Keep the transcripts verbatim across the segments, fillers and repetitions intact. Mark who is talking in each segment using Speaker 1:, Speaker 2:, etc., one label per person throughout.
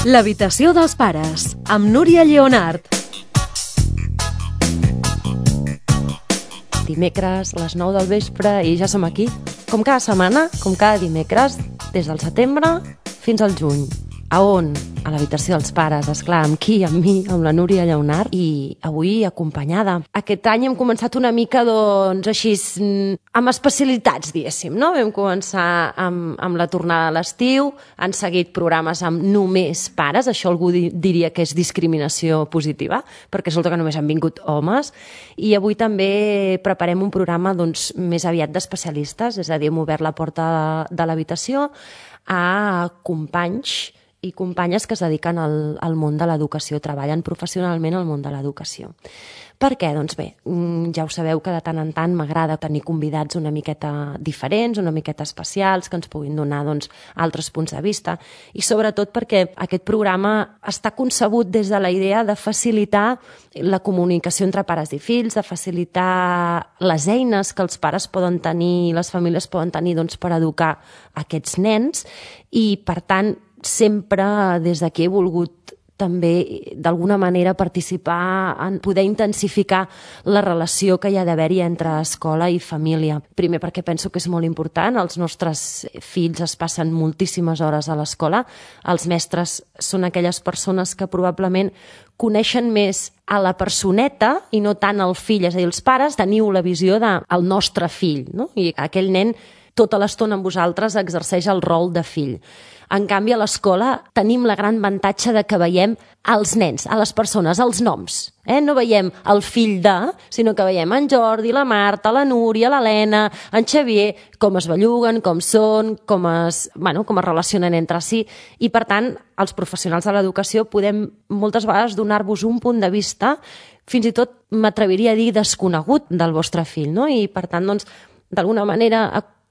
Speaker 1: L'habitació dels pares, amb Núria Lleonart. Dimecres, a les nou del vespre, i ja som aquí. Com cada setmana, com cada dimecres, des del setembre fins al juny. A on? A l'habitació dels pares, esclar, amb qui? Amb mi, amb la Núria Lleonart, i avui acompanyada. Aquest any hem començat una mica, doncs, així, amb especialitats, diguéssim, no? Vam començar amb, amb la tornada a l'estiu, han seguit programes amb només pares, això algú di- diria que és discriminació positiva, perquè resulta que només han vingut homes, i avui també preparem un programa, doncs, més aviat d'especialistes, és a dir, hem obert la porta de l'habitació a companys i companyes que es dediquen al, al món de l'educació, treballen professionalment al món de l'educació. Per què? Doncs bé, ja ho sabeu que de tant en tant m'agrada tenir convidats una miqueta diferents, una miqueta especials, que ens puguin donar doncs, altres punts de vista, i sobretot perquè aquest programa està concebut des de la idea de facilitar la comunicació entre pares i fills, de facilitar les eines que els pares poden tenir, les famílies poden tenir doncs, per educar aquests nens, i per tant sempre des d'aquí he volgut també d'alguna manera participar en poder intensificar la relació que hi ha d'haver-hi entre escola i família. Primer perquè penso que és molt important, els nostres fills es passen moltíssimes hores a l'escola, els mestres són aquelles persones que probablement coneixen més a la personeta i no tant al fill, és a dir, els pares teniu la visió del nostre fill, no? I aquell nen tota l'estona amb vosaltres exerceix el rol de fill. En canvi, a l'escola tenim la gran avantatge de que veiem els nens, a les persones, els noms. Eh? No veiem el fill de, sinó que veiem en Jordi, la Marta, la Núria, l'Helena, en Xavier, com es belluguen, com són, com es, bueno, com es relacionen entre si. I, per tant, els professionals de l'educació podem moltes vegades donar-vos un punt de vista, fins i tot m'atreviria a dir desconegut del vostre fill. No? I, per tant, doncs, d'alguna manera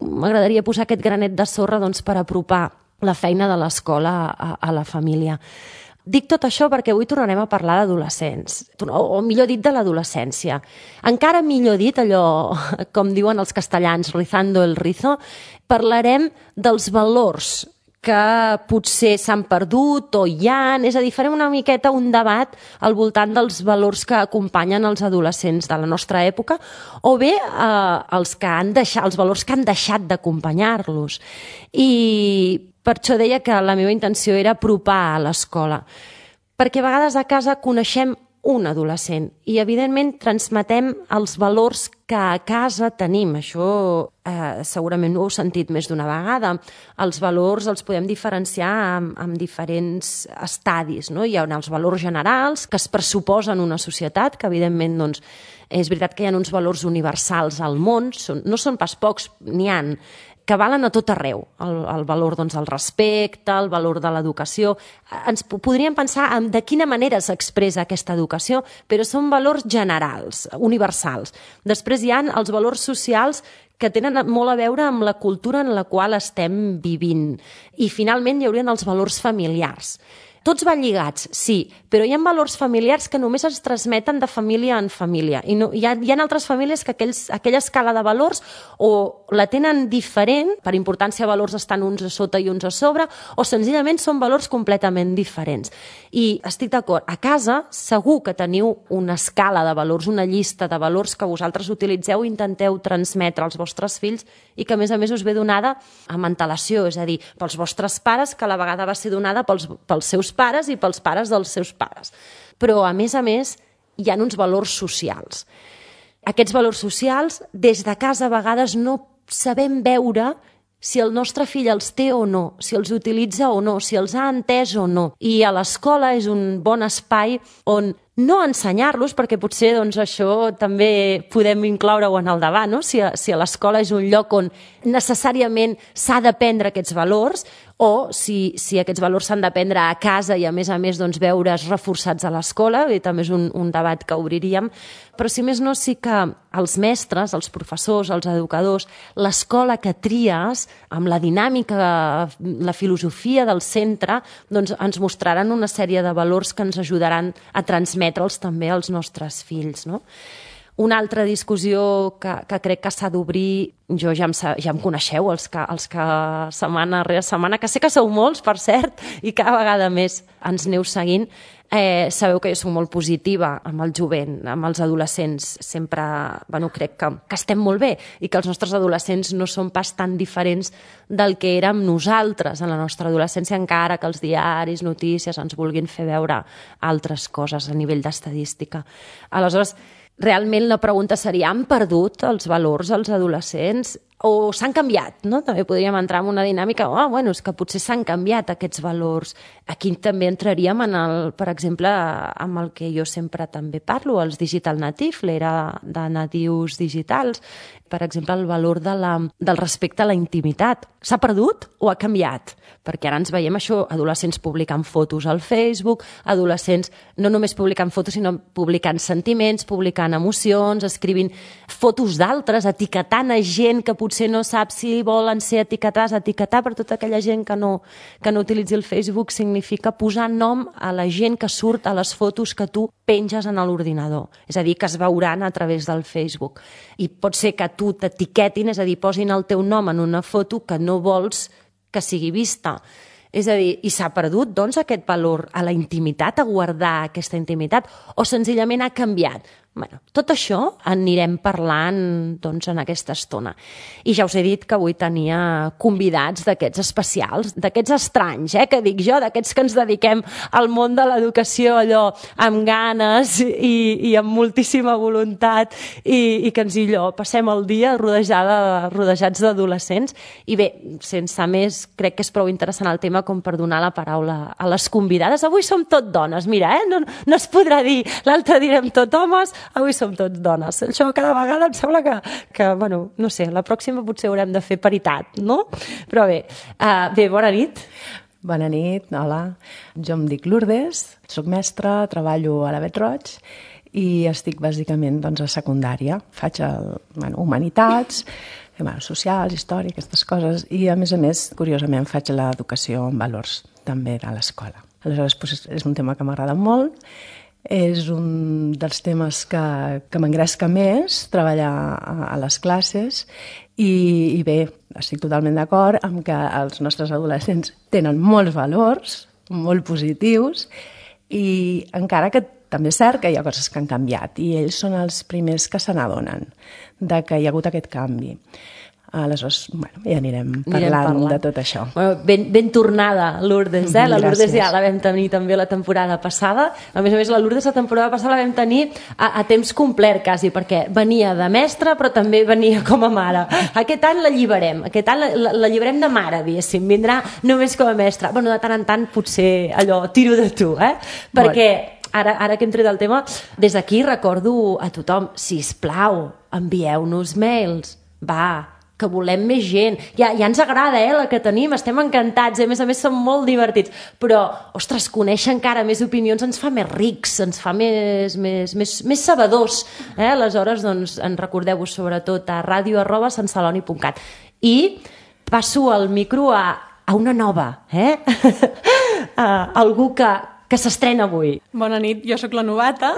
Speaker 1: m'agradaria posar aquest granet de sorra doncs, per apropar la feina de l'escola a, a la família. Dic tot això perquè avui tornarem a parlar d'adolescents, o, o millor dit de l'adolescència. Encara millor dit allò, com diuen els castellans, rizando el rizo, parlarem dels valors que potser s'han perdut o hi ha, és a dir, farem una miqueta un debat al voltant dels valors que acompanyen els adolescents de la nostra època o bé eh, els, que han deixat, els valors que han deixat d'acompanyar-los. I per això deia que la meva intenció era apropar a l'escola, perquè a vegades a casa coneixem un adolescent i, evidentment, transmetem els valors que a casa tenim. Això eh, segurament ho heu sentit més d'una vegada. Els valors els podem diferenciar en, en diferents estadis. No? Hi ha els valors generals que es pressuposen una societat, que, evidentment, doncs, és veritat que hi ha uns valors universals al món, són, no són pas pocs, n'hi ha, que valen a tot arreu, el, el valor doncs, del respecte, el valor de l'educació. Ens podríem pensar en de quina manera s'expressa aquesta educació, però són valors generals, universals. Després hi ha els valors socials que tenen molt a veure amb la cultura en la qual estem vivint. I finalment hi haurien els valors familiars. Tots van lligats, sí, però hi ha valors familiars que només es transmeten de família en família. I no, hi, ha, hi ha altres famílies que aquells, aquella escala de valors o la tenen diferent, per importància valors estan uns a sota i uns a sobre, o senzillament són valors completament diferents. I estic d'acord, a casa segur que teniu una escala de valors, una llista de valors que vosaltres utilitzeu i intenteu transmetre als vostres fills i que a més a més us ve donada amb antelació, és a dir, pels vostres pares, que a la vegada va ser donada pels, pels seus pares i pels pares dels seus pares. Però, a més a més, hi ha uns valors socials. Aquests valors socials, des de casa, a vegades no sabem veure si el nostre fill els té o no, si els utilitza o no, si els ha entès o no. I a l'escola és un bon espai on no ensenyar-los, perquè potser doncs, això també podem incloure-ho en el debat, no? si, a, si a l'escola és un lloc on necessàriament s'ha d'aprendre aquests valors, o si, si aquests valors s'han d'aprendre a casa i a més a més doncs, veure's reforçats a l'escola, i també és un, un debat que obriríem, però si més no sí que els mestres, els professors, els educadors, l'escola que tries, amb la dinàmica, la filosofia del centre, doncs ens mostraran una sèrie de valors que ens ajudaran a transmetre'ls també als nostres fills, no? Una altra discussió que, que crec que s'ha d'obrir, jo ja em, ja em coneixeu, els que, els que setmana rere setmana, que sé que sou molts, per cert, i cada vegada més ens aneu seguint, eh, sabeu que jo soc molt positiva amb el jovent, amb els adolescents. Sempre, bueno, crec que, que estem molt bé i que els nostres adolescents no són pas tan diferents del que érem nosaltres en la nostra adolescència, encara que els diaris, notícies ens vulguin fer veure altres coses a nivell d'estadística. Aleshores, realment la pregunta seria, han perdut els valors els adolescents o s'han canviat, no? També podríem entrar en una dinàmica, oh, bueno, és que potser s'han canviat aquests valors. Aquí també entraríem, en el, per exemple, amb el que jo sempre també parlo, els digital native, l'era de natius digitals. Per exemple, el valor de la, del respecte a la intimitat. S'ha perdut o ha canviat? Perquè ara ens veiem això, adolescents publicant fotos al Facebook, adolescents no només publicant fotos, sinó publicant sentiments, publicant emocions, escrivint fotos d'altres, etiquetant a gent que potser no sap si volen ser etiquetats. Etiquetar per tota aquella gent que no, que no utilitzi el Facebook significa posar nom a la gent que surt a les fotos que tu penges en l'ordinador. És a dir, que es veuran a través del Facebook. I pot ser que tu t'etiquetin, és a dir, posin el teu nom en una foto que no vols que sigui vista. És a dir, i s'ha perdut, doncs, aquest valor a la intimitat, a guardar aquesta intimitat, o senzillament ha canviat? Bueno, tot això anirem parlant, doncs, en aquesta estona. I ja us he dit que avui tenia convidats d'aquests especials, d'aquests estranys, eh, que dic jo, d'aquests que ens dediquem al món de l'educació allò amb ganes i, i amb moltíssima voluntat i, i que ens allò passem el dia rodejada, rodejats d'adolescents. I bé, sense més, crec que és prou interessant el tema com per donar la paraula a les convidades. Avui som tot dones, mira, eh? no, no es podrà dir, l'altre direm tot homes, avui som tots dones. Això cada vegada em sembla que, que, bueno, no sé, la pròxima potser haurem de fer paritat, no? Però bé, uh, bé, bona nit.
Speaker 2: Bona nit, hola. Jo em dic Lourdes, soc mestra, treballo a la Bet Roig i estic bàsicament doncs, a secundària. Faig el, bueno, humanitats, bueno, socials, història, aquestes coses, i a més a més, curiosament, faig l'educació en valors també de l'escola. Aleshores, doncs, és un tema que m'agrada molt. És un dels temes que, que m'engresca més, treballar a, a les classes i, i bé, estic totalment d'acord amb que els nostres adolescents tenen molts valors, molt positius i encara que també és cert que hi ha coses que han canviat i ells són els primers que se n'adonen de que hi ha hagut aquest canvi. Aleshores, bueno, ja anirem parlant, parlant de tot això.
Speaker 1: Bueno, ben, ben tornada, Lourdes, eh? La Lourdes ja la vam tenir també la temporada passada. A més a més, la Lourdes la temporada passada la vam tenir a, a temps complet, quasi, perquè venia de mestra, però també venia com a mare. Aquest any la lliberem, aquest any la, la, la lliberem de mare, diguéssim, vindrà només com a mestra. Bueno, de tant en tant potser allò, tiro de tu, eh? Perquè ara, ara que entrei del tema, des d'aquí recordo a tothom, sisplau, envieu-nos mails, va, que volem més gent. Ja, ja ens agrada, eh, la que tenim, estem encantats, eh? A més a més són molt divertits, però, ostres, conèixer encara més opinions ens fa més rics, ens fa més, més, més, més sabedors, eh? Aleshores, doncs, en recordeu-vos sobretot a ràdio arroba santceloni punt cat. I passo el micro a, a una nova, eh? a algú que, que s'estrena avui.
Speaker 3: Bona nit, jo sóc la novata,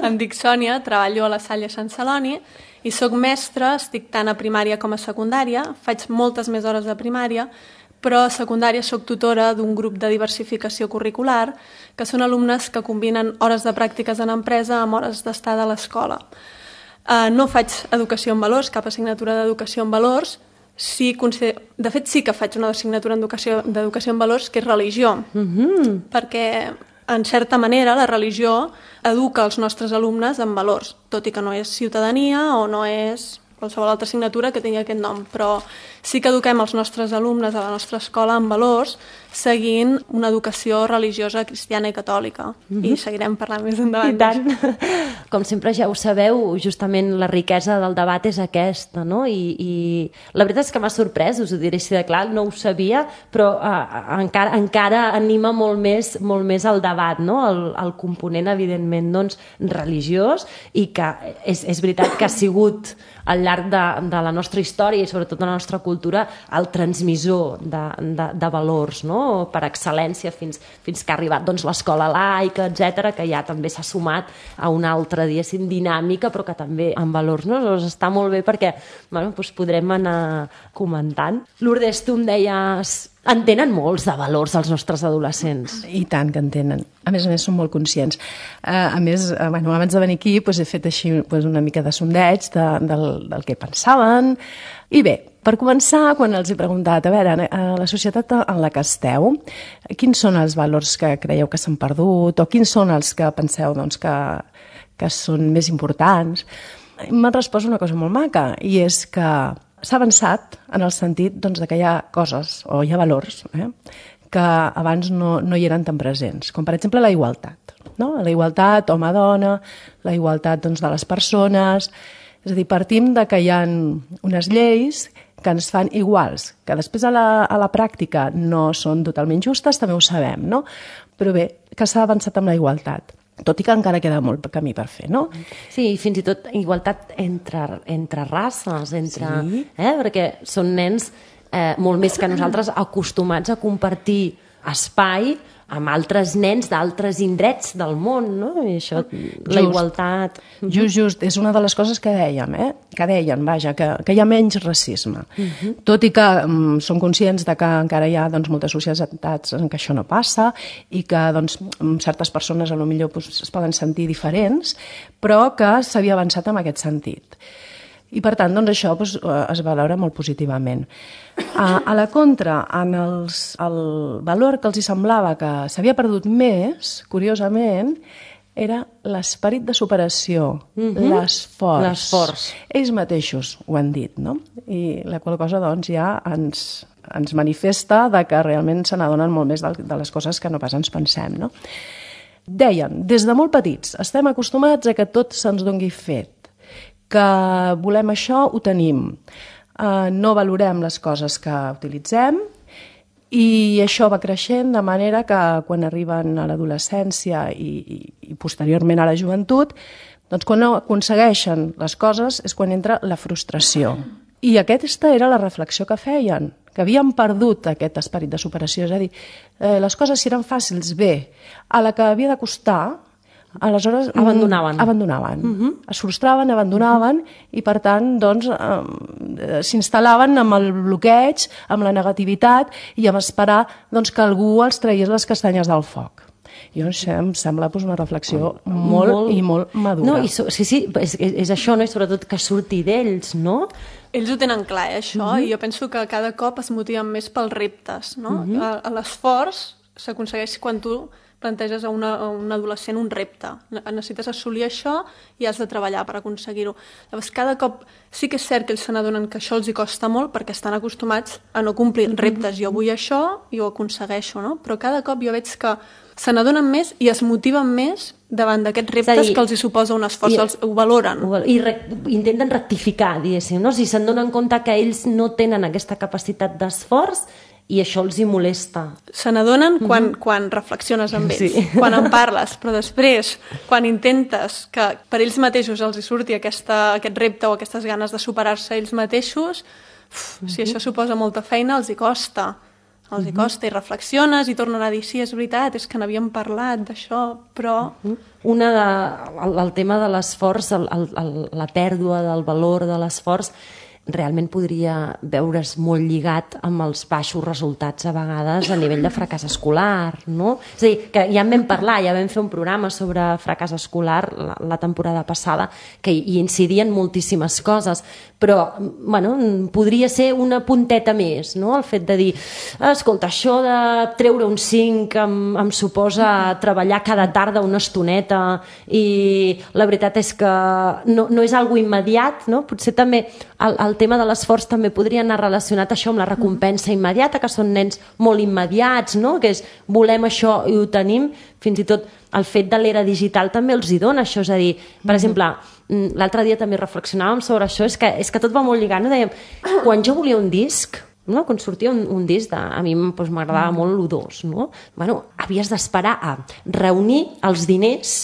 Speaker 3: em dic Sònia, treballo a la Salle Sant Celoni i sóc mestra, estic tant a primària com a secundària, faig moltes més hores de primària, però a secundària sóc tutora d'un grup de diversificació curricular, que són alumnes que combinen hores de pràctiques en empresa amb hores d'estada a l'escola. Uh, no faig educació en valors, cap assignatura d'educació en valors, sí, de fet sí que faig una assignatura d'educació en valors, que és religió,
Speaker 1: Mm-hmm.
Speaker 3: perquè en certa manera la religió educa els nostres alumnes en valors, tot i que no és ciutadania o no és qualsevol altra assignatura que tingui aquest nom, però sí que eduquem els nostres alumnes a la nostra escola en valors seguint una educació religiosa cristiana i catòlica. Mm-hmm. I seguirem parlant més endavant.
Speaker 1: I tant. Com sempre ja ho sabeu, justament la riquesa del debat és aquesta, no? I, i la veritat és que m'ha sorprès, us ho diré així de clar, no ho sabia, però uh, encara, encara anima molt més, molt més el debat, no? El, el component, evidentment, doncs, religiós, i que és, és veritat que ha sigut al llarg de, de la nostra història i sobretot de la nostra cultura el transmissor de, de, de valors, no? Per excel·lència fins, fins que ha arribat doncs, l'escola laica, etcètera, que ja també s'ha sumat a una altra, diguéssim, dinàmica, però que també amb valors, no? Doncs està molt bé perquè bueno, doncs podrem anar comentant. Lourdes, tu em deies... En tenen molts de valors els nostres adolescents.
Speaker 2: I tant que en tenen. A més a més, són molt conscients. Uh, a més, uh, bueno, abans de venir aquí doncs, he fet així doncs, una mica de sondeig de, del, del que pensaven. I bé, per començar, quan els he preguntat, a veure, a la societat en la que esteu, quins són els valors que creieu que s'han perdut o quins són els que penseu doncs, que, que són més importants? M'han respost una cosa molt maca, i és que s'ha avançat en el sentit doncs, que hi ha coses o hi ha valors eh, que abans no, no hi eren tan presents, com per exemple la igualtat. No? La igualtat home-dona, la igualtat doncs, de les persones... És a dir, partim de que hi ha unes lleis que ens fan iguals, que després a la, a la pràctica no són totalment justes, també ho sabem, no? Però bé, que s'ha avançat amb la igualtat. Tot i que encara queda molt camí per fer, no?
Speaker 1: Sí, fins i tot igualtat entre, entre races, entre,
Speaker 2: sí.
Speaker 1: eh? Perquè són nens eh, molt més que nosaltres acostumats a compartir espai amb altres nens d'altres indrets del món, no? I això, just, la igualtat...
Speaker 2: Just, just, és una de les coses que dèiem, eh? Que deien, vaja, que, que hi ha menys racisme. Uh-huh. Tot i que um, som conscients de que encara hi ha doncs, moltes societats en què això no passa i que doncs, certes persones a lo millor pues, es poden sentir diferents, però que s'havia avançat en aquest sentit. I per tant, doncs, això doncs, es valora molt positivament. A, a la contra, en els, el valor que els hi semblava que s'havia perdut més, curiosament, era l'esperit de superació, mm-hmm. l'esforç.
Speaker 1: L'esforç.
Speaker 2: Ells mateixos ho han dit, no? I la qual cosa doncs, ja ens, ens manifesta de que realment se n'adonen molt més de, de les coses que no pas ens pensem, no? Deien, des de molt petits, estem acostumats a que tot se'ns doni fet, que volem això, ho tenim. Uh, no valorem les coses que utilitzem i això va creixent de manera que quan arriben a l'adolescència i, i, i posteriorment a la joventut, doncs quan no aconsegueixen les coses és quan entra la frustració. I aquesta era la reflexió que feien, que havien perdut aquest esperit de superació. És a dir, eh, les coses si eren fàcils, bé, a la que havia de costar, aleshores
Speaker 1: abandonaven,
Speaker 2: abandonaven.
Speaker 1: Uh-huh.
Speaker 2: Es frustraven, abandonaven uh-huh. i per tant doncs, eh, s'instal·laven amb el bloqueig, amb la negativitat i amb esperar doncs, que algú els tragués les castanyes del foc. I això em sembla doncs, una reflexió molt, molt i molt madura.
Speaker 1: No, i so, sí, sí, és, és això, no? I sobretot que surti d'ells, no?
Speaker 3: Ells ho tenen clar, eh, això, uh-huh. i jo penso que cada cop es motiven més pels reptes, no? Uh-huh. L'esforç s'aconsegueix quan tu planteges a, una, a un adolescent un repte. Necessites assolir això i has de treballar per aconseguir-ho. Llavors, cada cop sí que és cert que ells se n'adonen que això els hi costa molt perquè estan acostumats a no complir reptes. Jo vull això i ho aconsegueixo, no? Però cada cop jo veig que se n'adonen més i es motiven més davant d'aquests reptes dir, que els hi suposa un esforç, i, els, ho valoren.
Speaker 1: I re, intenten rectificar, diguéssim, no? Si se'n donen compte que ells no tenen aquesta capacitat d'esforç i això els hi molesta.
Speaker 3: Se n'adonen quan, mm-hmm. quan reflexiones amb ells, sí. quan en parles, però després, quan intentes que per ells mateixos els hi surti aquesta, aquest repte o aquestes ganes de superar-se ells mateixos, uf, mm-hmm. si això suposa molta feina, els hi costa. Els mm-hmm. hi costa i reflexiones i tornen a dir, sí, és veritat, és que n'havíem parlat d'això, però...
Speaker 1: Mm-hmm. Una de, el, el tema de l'esforç, el, el, el, la pèrdua del valor de l'esforç, realment podria veure's molt lligat amb els baixos resultats a vegades a nivell de fracàs escolar, no? És a dir, que ja en vam parlar, ja vam fer un programa sobre fracàs escolar la, la temporada passada, que hi incidien moltíssimes coses, però, bueno, podria ser una punteta més, no? El fet de dir, escolta, això de treure un cinc em, em suposa treballar cada tarda una estoneta i la veritat és que no, no és algo immediat, no? Potser també el, el tema de l'esforç també podria anar relacionat això amb la recompensa immediata, que són nens molt immediats, no? Que és volem això i ho tenim, fins i tot el fet de l'era digital també els hi dona això, és a dir, per exemple, l'altre dia també reflexionàvem sobre això, és que, és que tot va molt lligat, no? Dèiem, quan jo volia un disc, no? Quan sortia un, un disc, de, a mi doncs, m'agradava molt l'U dos, no? Bueno, havies d'esperar a reunir els diners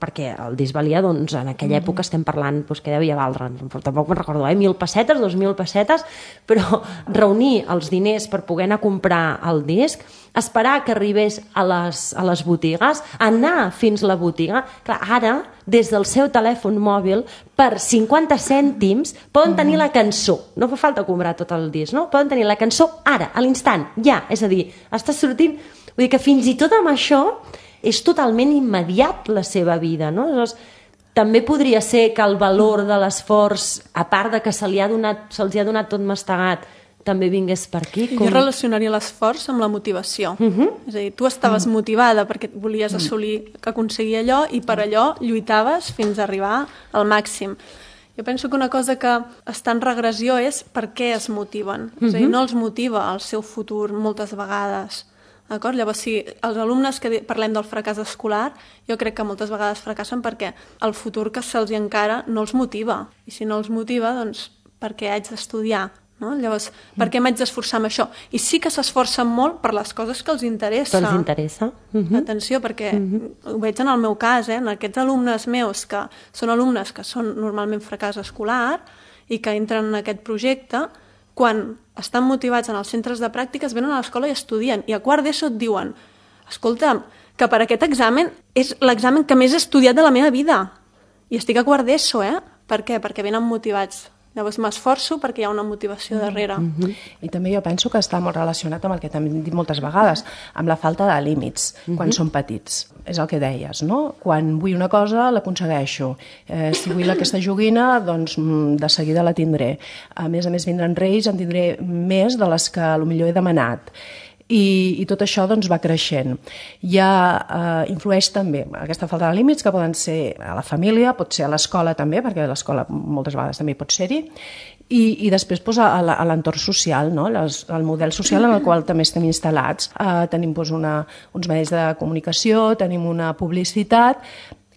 Speaker 1: perquè el disc valia, doncs, en aquella època estem parlant, doncs, què devia valdre, tampoc me'n recordo, eh? mil pessetes, dos mil pessetes, però reunir els diners per poder anar a comprar el disc, esperar que arribés a les, a les botigues, anar fins a la botiga. Clar, ara, des del seu telèfon mòbil, per cinquanta cèntims, poden tenir la cançó. No fa falta comprar tot el disc, no? Poden tenir la cançó ara, a l'instant, ja. És a dir, està sortint... Vull dir que fins i tot amb això és totalment immediat la seva vida, no? Llavors, també podria ser que el valor de l'esforç, a part de que se li ha donat, se'ls ha donat tot mastegat, també vingués per aquí. Com...
Speaker 3: Jo relacionaria l'esforç amb la motivació. Uh -huh. És a dir, tu estaves uh -huh. motivada perquè volies assolir, que aconseguir allò, i per allò lluitaves fins a arribar al màxim. Jo penso que una cosa que està en regressió és per què es motiven. Uh -huh. És a dir, no els motiva el seu futur moltes vegades. D'acord? Llavors, si els alumnes que parlem del fracàs escolar, jo crec que moltes vegades fracassen perquè el futur que se'ls encara no els motiva. I si no els motiva, doncs, per què haig d'estudiar? No? Llavors, per què m'haig d'esforçar amb això? I sí que s'esforcen molt per les coses que els interessa.
Speaker 1: Que els interessa. Uh-huh.
Speaker 3: Atenció, perquè uh-huh. ho veig en el meu cas, eh? En aquests alumnes meus, que són alumnes que són normalment fracàs escolar i que entren en aquest projecte, quan estan motivats en els centres de pràctiques, venen a l'escola i estudien. I a quart d'ESO et diuen, escolta, que per aquest examen és l'examen que més he estudiat de la meva vida. I estic a quart d'ESO, eh? Per què? Perquè venen motivats. Llavors m'esforço perquè hi ha una motivació darrere.
Speaker 2: Mm-hmm. I també jo penso que està molt relacionat amb el que també hem dit moltes vegades, amb la falta de límits, mm-hmm. quan són petits. És el que deies, no? Quan vull una cosa, l'aconsegueixo. Eh, si vull aquesta joguina, doncs de seguida la tindré. A més a més, vindran reis, en tindré més de les que potser he demanat. I, i tot això doncs, va creixent. Ja eh, influeix també aquesta falta de límits, que poden ser a la família, pot ser a l'escola també, perquè l'escola moltes vegades també pot ser-hi, i, i després doncs, a, a l'entorn social, no? Les, el model social en el qual també estem instal·lats. Eh, tenim doncs, una, uns medis de comunicació, tenim una publicitat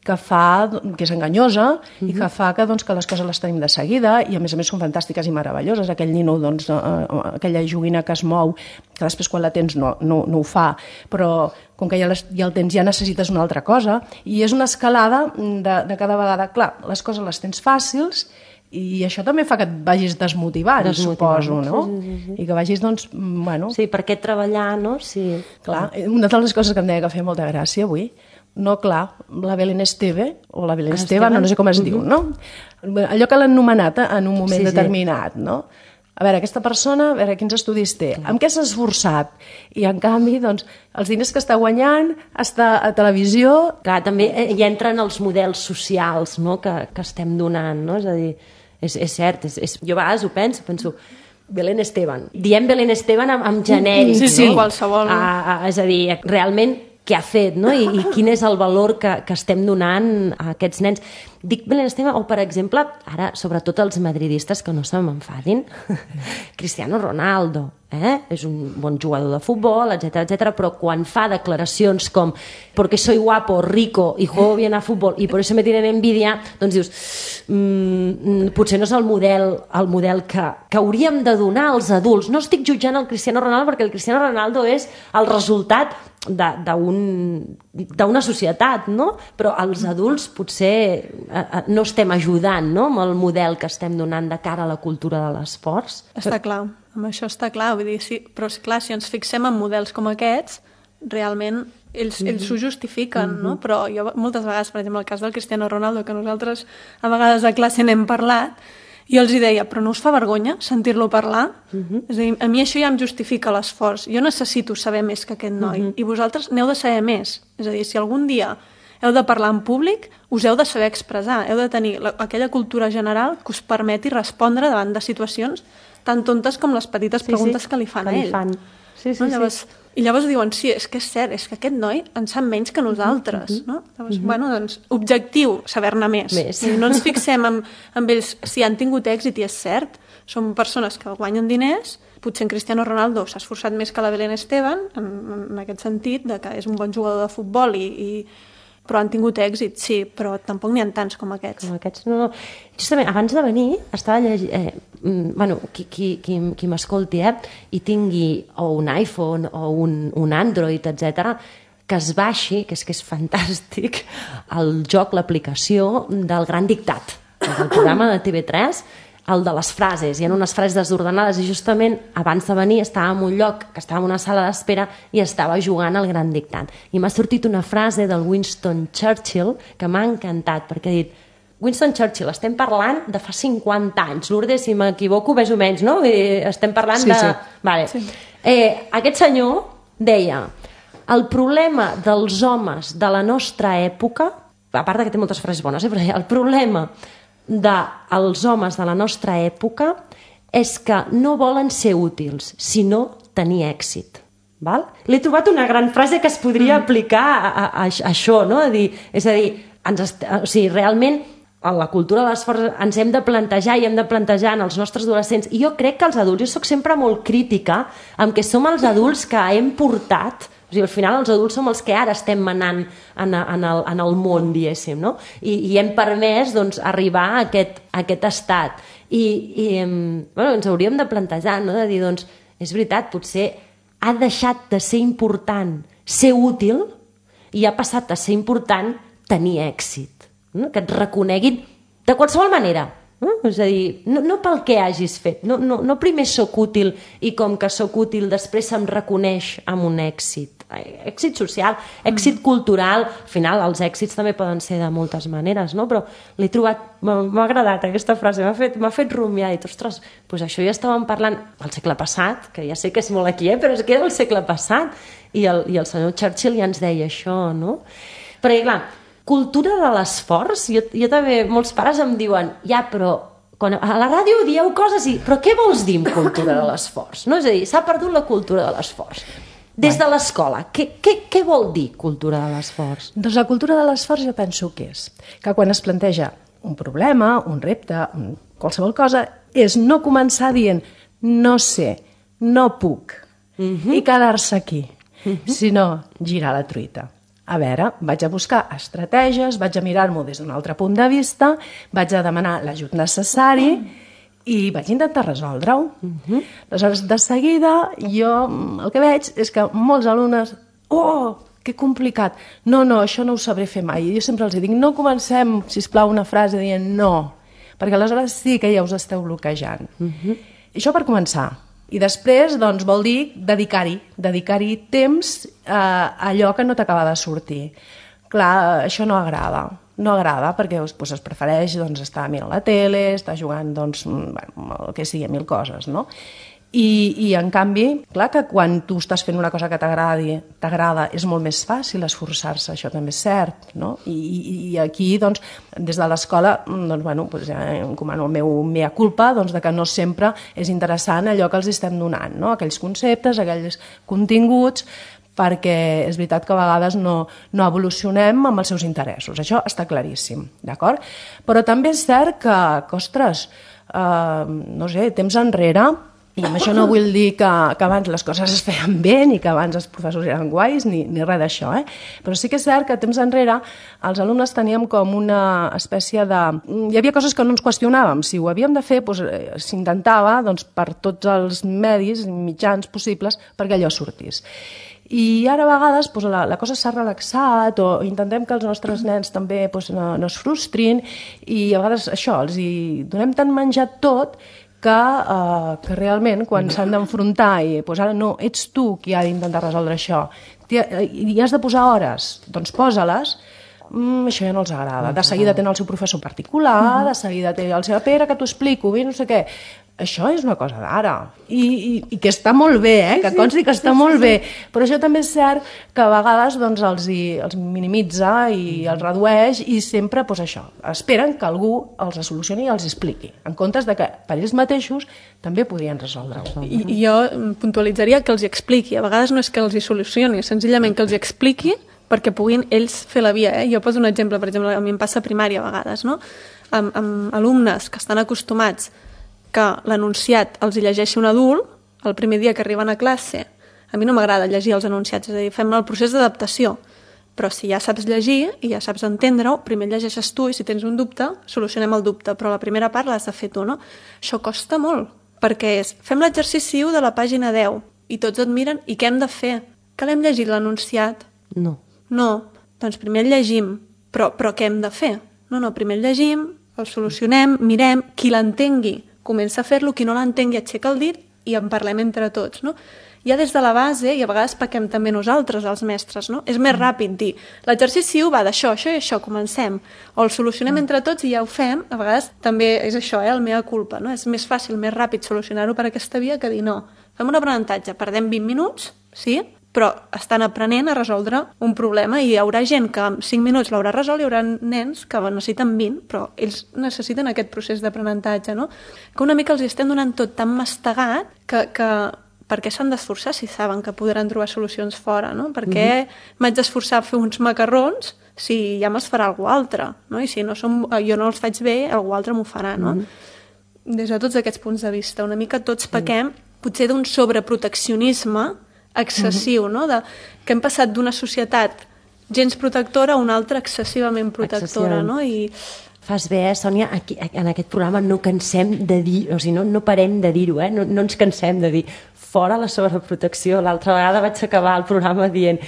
Speaker 2: que fa, que és enganyosa uh-huh. i que fa que, doncs, que les coses les tenim de seguida i a més a més són fantàstiques i meravelloses. Aquell nino, doncs, eh, aquella joguina que es mou, que després quan la tens no, no, no ho fa, però com que ja, les, ja el tens ja necessites una altra cosa, i és una escalada de, de cada vegada. Clar, les coses les tens fàcils i això també fa que et vagis desmotivant, desmotivant suposo, no? Sí, sí, sí. I que vagis, doncs, bueno...
Speaker 1: Sí, per què treballar, no? Sí.
Speaker 2: Clar, una de les coses que em deia que feia molta gràcia avui, no, clar, la Belén Esteve, o la Belén ah, Esteve, no, no sé com es uh-huh. diu, no? Allò que l'han nomenat en un moment sí, determinat, sí. no? A veure, aquesta persona, a veure, quins estudis té, amb què s'ha esforçat? I, en canvi, doncs, els diners que està guanyant, està a televisió...
Speaker 1: Clar, també hi entren els models socials, no?, que, que estem donant, no? És a dir, és, és cert, és, és, jo a vegades ho penso, penso... Belén Esteban. Diem Belén Esteban amb, amb genèric,
Speaker 3: sí, sí,
Speaker 1: no?
Speaker 3: Qualsevol.
Speaker 1: A, a, és a dir, realment... què ha fet, no? I, i quin és el valor que, que estem donant a aquests nens. Dic Belén Esteban, o per exemple, ara, sobretot els madridistes que no se m'enfadin, Cristiano Ronaldo, eh? És un bon jugador de futbol, etcètera, etcètera, però quan fa declaracions com porque soy guapo, rico y juego bien a futbol y por eso me tienen envidia, doncs dius, mm, potser no és el model, el model que, que hauríem de donar als adults. No estic jutjant el Cristiano Ronaldo perquè el Cristiano Ronaldo és el resultat d'una societat, no? Però els adults potser no estem ajudant, no?, amb el model que estem donant de cara a la cultura de l'esport.
Speaker 3: Està clar, amb això està clar, vull dir, sí, però clar, si ens fixem en models com aquests, realment ells, ells s'ho justifiquen, mm-hmm. no? Però jo moltes vegades, per exemple, el cas del Cristiano Ronaldo, que nosaltres a vegades a classe n'hem parlat, jo els hi deia, però no us fa vergonya sentir-lo parlar? Uh-huh. És a dir, a mi això ja em justifica l'esforç. Jo necessito saber més que aquest noi. Uh-huh. I vosaltres n'heu de saber més. És a dir, si algun dia heu de parlar en públic, us heu de saber expressar. Heu de tenir la, aquella cultura general que us permeti respondre davant de situacions tan tontes com les petites sí, preguntes sí, que li fan a ell. Fan. Sí, sí, no? Llavors, sí. I llavors diuen, sí, és que és cert, és que aquest noi en sap menys que nosaltres. Uh-huh. No? Llavors, uh-huh. bueno, doncs, objectiu, saber-ne més. més. No ens fixem en, en ells si han tingut èxit, i és cert, són persones que guanyen diners, potser en Cristiano Ronaldo s'ha esforçat més que la Belén Esteban, en, en aquest sentit, de que és un bon jugador de futbol i... i però han tingut èxit, sí, però tampoc n'hi ha tants com aquests.
Speaker 1: Com aquests, no. Justament, abans de venir, estava llegint... Eh, bueno, qui, qui, qui, qui m'escolti, eh, i tingui o un iPhone o un, un Android, etcètera, que es baixi, que és que és fantàstic, el joc, l'aplicació del Gran Dictat, del programa de T V tres, el de les frases. Hi ha unes frases desordenades i justament abans de venir estava en un lloc que estava en una sala d'espera i estava jugant al Gran Dictat. I m'ha sortit una frase del Winston Churchill que m'ha encantat, perquè ha dit: Winston Churchill, estem parlant de fa cinquanta anys. Lourdes, si m'equivoco, més o menys, no? Estem parlant
Speaker 2: sí,
Speaker 1: de...
Speaker 2: Sí.
Speaker 1: Vale.
Speaker 3: Sí.
Speaker 1: Eh, aquest senyor deia: el problema dels homes de la nostra època, a part que té moltes frases bones, eh, però el problema dels homes de la nostra època és que no volen ser útils, sinó tenir èxit. Val? L'he trobat una gran frase que es podria mm. aplicar a, a, a això, no? A dir, és a dir, ens est... o sigui, realment a la cultura de l'esforç ens hem de plantejar i hem de plantejar en els nostres adolescents, i jo crec que els adults, jo soc sempre molt crítica amb que som els adults que hem portat. O sigui, al final els adults som els que ara estem manant en, en, el, en el món, diguéssim, no? I, i hem permès doncs, arribar a aquest, a aquest estat. I, i bueno, ens hauríem de plantejar, no? De dir, doncs, és veritat, potser ha deixat de ser important ser útil i ha passat a ser important tenir èxit, no? Que et reconeguin de qualsevol manera. No? És a dir, no, no pel que hagis fet, no, no, no primer soc útil i com que soc útil després se'm reconeix amb un èxit, èxit social, èxit cultural. Al final els èxits també poden ser de moltes maneres, no? Però l'he trobat, m'ha agradat aquesta frase, m'ha fet, m'ha fet rumiar, i ostres, doncs això ja estàvem parlant al segle passat, que ja sé que és molt aquí, eh? Però és que era el segle passat, i el, i el senyor Churchill ja ens deia això, no? Perquè clar, cultura de l'esforç, jo, jo també, molts pares em diuen, ja, però quan a la ràdio dieu coses i... Però què vols dir amb cultura de l'esforç? No? És a dir, s'ha perdut la cultura de l'esforç. Des de l'escola, què, què, què vol dir cultura de l'esforç?
Speaker 2: Doncs la cultura de l'esforç jo penso que és que quan es planteja un problema, un repte, qualsevol cosa, és no començar dient no sé, no puc, uh-huh. i quedar-se aquí, uh-huh. sinó girar la truita. A veure, vaig a buscar estratègies, vaig a mirar-m'ho des d'un altre punt de vista, vaig a demanar l'ajut necessari i vaig intentar resoldre-ho. Uh-huh. Aleshores, de seguida, jo el que veig és que molts alumnes... Oh, que complicat! No, no, això no ho sabré fer mai. I jo sempre els dic, no comencem, sisplau, una frase dient no, perquè aleshores sí que ja us esteu bloquejant. Uh-huh. I això per començar. I després, doncs, vol dir dedicar-hi, dedicar-hi temps a allò que no t'acaba de sortir. Clar, això no agrada, no agrada perquè doncs, es prefereix doncs, estar mirant la tele, estar jugant, doncs, bueno, el que sigui, mil coses, no? I, i en canvi, clar que quan tu estàs fent una cosa que t'agradi, t'agrada, és molt més fàcil esforçar-se, això també és cert, no? I, i, i aquí, doncs, des de l'escola, doncs, bueno, doncs, ja encomano el meu mea culpa, doncs, de que no sempre és interessant allò que els estem donant, no? Aquells conceptes, aquells continguts, perquè és veritat que a vegades no, no evolucionem amb els seus interessos, això està claríssim, d'acord? Però també és cert que, que ostres, eh, no sé, temps enrere, i amb això no vull dir que, que abans les coses es feien bé, ni que abans els professors eren guais, ni, ni res d'això, eh? Però sí que és cert que temps enrere els alumnes teníem com una espècie de... Hi havia coses que no ens qüestionàvem. Si ho havíem de fer, doncs, s'intentava doncs, per tots els medis, mitjans possibles, perquè allò sortís. I ara a vegades doncs, la, la cosa s'ha relaxat o intentem que els nostres nens també doncs, no, no es frustrin i a vegades això, els hi donem tan menjat tot que, uh, que realment quan s'han d'enfrontar i doncs ara no, ets tu qui ha d'intentar resoldre això i has de posar hores, doncs posa-les, mm, això ja no els agrada. De seguida tenen el seu professor particular, de seguida té el seu Pere que t'ho explico, bé, no sé què. Això és una cosa d'ara, I, i, i que està molt bé, eh? Que consti que està molt bé, però això també és cert que a vegades doncs, els, hi, els minimitza i els redueix i sempre doncs, això, esperen que algú els solucioni i els expliqui, en comptes de que per ells mateixos també podrien resoldre-ho.
Speaker 3: I, I jo puntualitzaria que els hi expliqui, a vegades no és que els hi solucioni, senzillament que els hi expliqui perquè puguin ells fer la via. Eh? Jo poso un exemple, per exemple, a mi em passa a primària a vegades, no? amb, amb alumnes que estan acostumats que l'enunciat els hi llegeixi un adult el primer dia que arriben a classe. A mi no m'agrada llegir els enunciats, és a dir, fem el procés d'adaptació, però si ja saps llegir i ja saps entendre-ho, primer llegeixes tu i si tens un dubte, solucionem el dubte, però la primera part l'has de fer tu, no? Això costa molt, perquè és, fem l'exercici u de la pàgina deu i tots et miren, i què hem de fer? Que l'hem llegit l'enunciat?
Speaker 1: No.
Speaker 3: No, doncs primer el llegim, però, però què hem de fer? No, no, primer el llegim, el solucionem, mirem, qui l'entengui comença a fer-lo, qui no l'entengui aixeca el dit i en parlem entre tots, no? Ja des de la base, i a vegades pequem també nosaltres, els mestres, no? És més ràpid dir, l'exercici va d'això, això i això, comencem. O el solucionem entre tots i ja ho fem, a vegades també és això, eh, el meva culpa, no? És més fàcil, més ràpid solucionar-ho per aquesta via que dir no. Fem un aprenentatge, perdem vint minuts, sí? Però estan aprenent a resoldre un problema i hi haurà gent que en cinc minuts l'haurà resolt, hi haurà nens que necessiten vint, però ells necessiten aquest procés d'aprenentatge, no? Que una mica els estem donant tot tan mastegat que, que per què s'han d'esforçar si saben que podran trobar solucions fora, no? Per què mm-hmm. m'haig d'esforçar a fer uns macarrons si ja me'ls farà algú altre, no? I si no som, jo no els faig bé, algú altre m'ho farà, no? Mm-hmm. Des de tots aquests punts de vista, una mica tots pequem, potser d'un sobreproteccionisme excessiu, no? De, que hem passat d'una societat gens protectora a una altra excessivament protectora, no? I
Speaker 1: fas bé, eh, Sònia, aquí, en aquest programa no cansem de dir, o sigui, no, no parem de dir-ho, eh? no, no ens cansem de dir fora la sobreprotecció. L'altra vegada vaig acabar el programa dient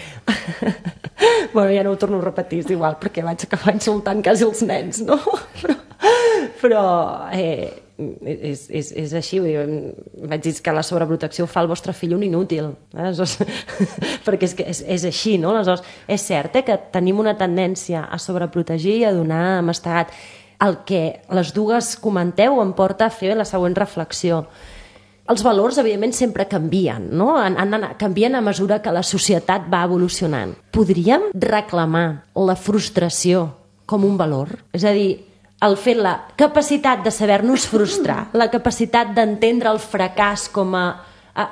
Speaker 1: bueno, ja no ho torno a repetir, és igual, perquè vaig acabar insultant quasi els nens, no? Però, però eh, és, és, és així, vaig dir que la sobreprotecció fa el vostre fill un inútil, eh? perquè és, que és, és així, no? Aleshores, és cert eh, que tenim una tendència a sobreprotegir i a donar mastegat. El que les dues comenteu em porta a fer la següent reflexió. Els valors, evidentment, sempre canvien, no? Han, han, canvien a mesura que la societat va evolucionant. Podríem reclamar la frustració com un valor? És a dir, el fet, la capacitat de saber-nos frustrar, la capacitat d'entendre el fracàs com a...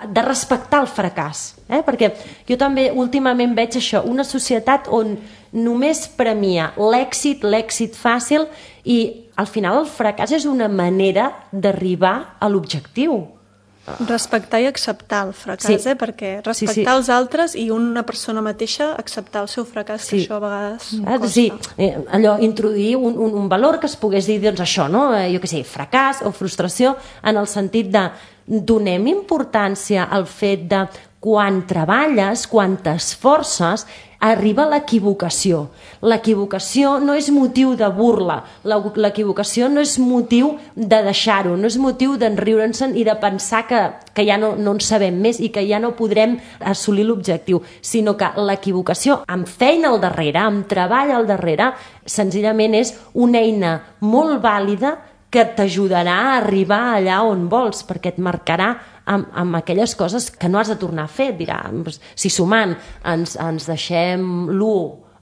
Speaker 1: de respectar el fracàs. Eh? Perquè jo també últimament veig això, una societat on només premia l'èxit, l'èxit fàcil, i al final el fracàs és una manera d'arribar a l'objectiu.
Speaker 3: Respectar i acceptar el fracàs, sí. eh? Perquè respectar sí, sí. els altres i una persona mateixa acceptar el seu fracàs, sí. que això a vegades
Speaker 1: ah,
Speaker 3: costa.
Speaker 1: Sí, eh, allò, introduir un, un, un valor que es pogués dir, doncs això, no? Eh, jo què sé, fracàs o frustració, en el sentit de donem importància al fet de quan treballes, quan t'esforces, arriba l'equivocació. L'equivocació no és motiu de burla, l'equivocació no és motiu de deixar-ho, no és motiu d'enriure'ns i de pensar que, que ja no, no en sabem més i que ja no podrem assolir l'objectiu, sinó que l'equivocació, amb feina al darrere, amb treball al darrere, senzillament és una eina molt vàlida que t'ajudarà a arribar allà on vols, perquè et marcarà amb, amb aquelles coses que no has de tornar a fer. Dirà, si sumant ens, ens deixem l'u,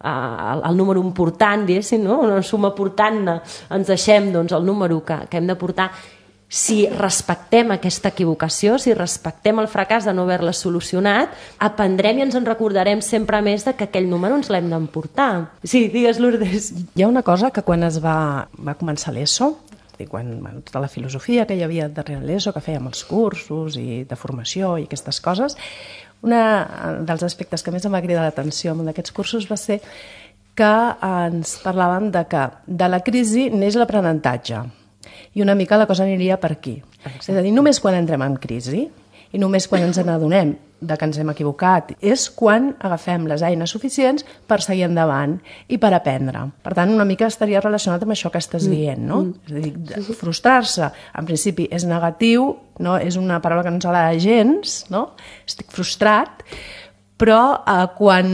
Speaker 1: el, el número important, diguéssim, no? Una suma portant-ne, ens deixem doncs, el número que, que hem de portar. Si respectem aquesta equivocació, si respectem el fracàs de no haver-la solucionat, aprendrem i ens en recordarem sempre més de que aquell número ens l'hem d'emportar. Sí, digues, Lourdes.
Speaker 2: Hi ha una cosa que quan es va, va començar l'ESO, quan, bueno, tota la filosofia que hi havia darrere l'ESO, que fèiem els cursos i de formació i aquestes coses, un dels aspectes que més em va cridar l'atenció en un d'aquests cursos va ser que ens parlaven de que de la crisi neix l'aprenentatge i una mica la cosa aniria per aquí. Exacte. És a dir, només quan entrem en crisi i només quan ens n'adonem de que ens hem equivocat és quan agafem les eines suficients per seguir endavant i per aprendre. Per tant, una mica estaria relacionat amb això que estàs dient, no? Mm. És a dir, frustrar-se, en principi, és negatiu, no? És una paraula que no ens agrada gens, no? Estic frustrat, però eh, quan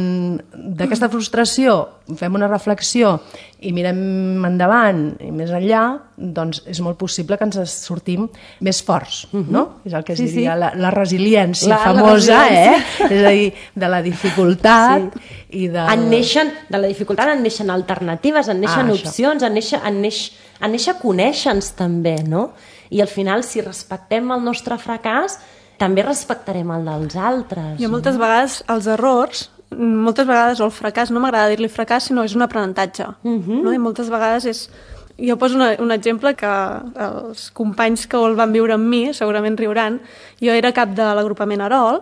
Speaker 2: d'aquesta frustració fem una reflexió i mirem endavant i més enllà, doncs és molt possible que ens sortim més forts, no? És el que es sí, diria sí. la, la resiliència la, famosa, la resiliència. eh? És a dir, de la dificultat sí. i de...
Speaker 1: En neixen, de la dificultat en neixen alternatives, en neixen ah, opcions, en neixen, en neix, en neixen conèixer-nos també, no? I al final, si respectem el nostre fracàs, també respectarem el dels altres.
Speaker 3: Jo moltes no? vegades els errors, moltes vegades o el fracàs, no m'agrada dir-li fracàs, sinó és un aprenentatge. Uh-huh. No? I moltes vegades és... Jo poso una, un exemple que els companys que el van viure amb mi segurament riuran. Jo era cap de l'agrupament Arol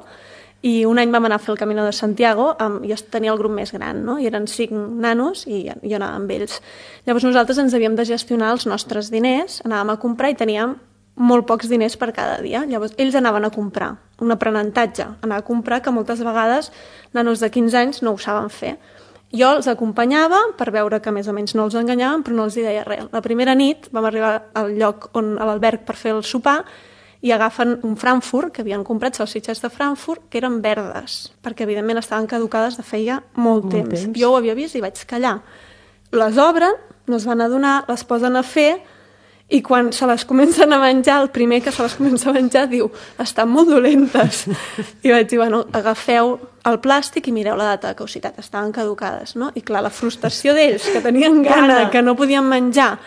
Speaker 3: i un any vam anar a fer el Camino de Santiago, amb, jo tenia el grup més gran, no? I eren cinc nanos i jo anava amb ells. Llavors nosaltres ens havíem de gestionar els nostres diners, anàvem a comprar i teníem molt pocs diners per cada dia. Llavors, ells anaven a comprar, un aprenentatge, anar a comprar, que moltes vegades nanos de quinze anys no ho saben fer. Jo els acompanyava per veure que més o menys no els enganyaven, però no els hi deia res. La primera nit vam arribar al lloc on, a l'alberg per fer el sopar i agafen un Frankfurt, que havien comprat salsitxes de Frankfurt, que eren verdes, perquè evidentment estaven caducades de feia molt, molt temps. temps. Jo ho havia vist i vaig callar. Les obren, no es van adonar, les posen a fer, i quan se les comencen a menjar, el primer que se les comença a menjar diu, estan molt dolentes. I vaig dir, bueno, agafeu el plàstic i mireu la data de caducitat, estaven caducades, no? I clar, la frustració d'ells, que tenien gana, que no podien menjar,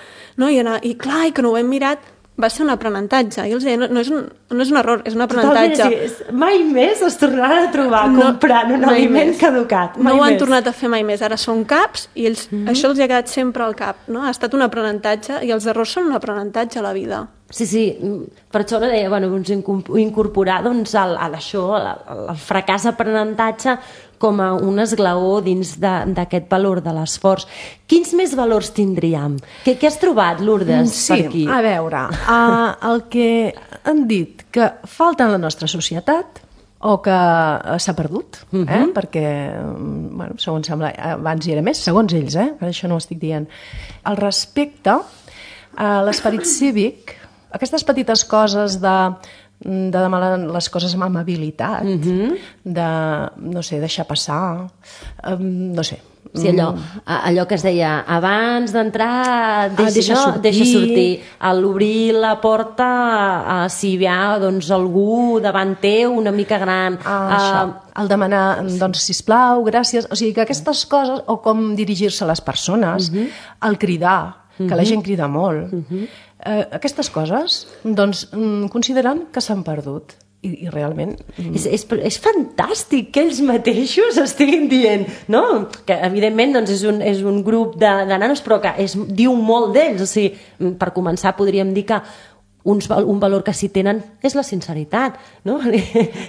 Speaker 3: no? I, anar, i clar, i que no ho hem mirat, va ser un aprenentatge. I els deia, no, no, és un, no és un error, és un aprenentatge.
Speaker 1: Totalment, sí. Mai més es tornaran a trobar no, comprant un aliment més. caducat. Mai
Speaker 3: no ho han
Speaker 1: més.
Speaker 3: tornat a fer mai més. Ara són caps i ells, mm-hmm. això els ha quedat sempre al cap. No? Ha estat un aprenentatge i els errors són un aprenentatge a la vida.
Speaker 1: Sí, sí, per això no deia, bueno, doncs, incorporar doncs, el, el, això, el, el fracàs aprenentatge com a un esglaó dins d'aquest valor de l'esforç. Quins més valors tindríem? Què, què has trobat, Lourdes,
Speaker 2: sí,
Speaker 1: per aquí?
Speaker 2: Sí, a veure, uh, el que han dit que falta en la nostra societat o que s'ha perdut, uh-huh. eh? perquè, bueno, segons sembla, abans hi era més, segons ells, eh? Per això no ho estic dient. El respecte a l'esperit cívic, aquestes petites coses de, de demanar les coses amb amabilitat, uh-huh. de, no sé, deixar passar, um, no sé.
Speaker 1: Sí, allò, allò que es deia, abans d'entrar, deixa,
Speaker 2: ah, deixa,
Speaker 1: no,
Speaker 2: sortir.
Speaker 1: deixa sortir. A l'obrir la porta, a, si hi ha doncs, algú davant teu, una mica gran.
Speaker 2: Ah, això. El demanar, doncs, sisplau, gràcies. O sigui, que aquestes coses, o com dirigir-se a les persones, uh-huh. el cridar, que uh-huh. la gent crida molt, uh-huh. eh, aquestes coses, doncs, consideren que s'han perdut. I, i realment...
Speaker 1: És, és, és fantàstic que ells mateixos estiguin dient, no? Que evidentment doncs, és, un, és un grup de, de nanos, però que és, diu molt d'ells. O sigui, per començar podríem dir que uns, un valor que sí tenen és la sinceritat, no?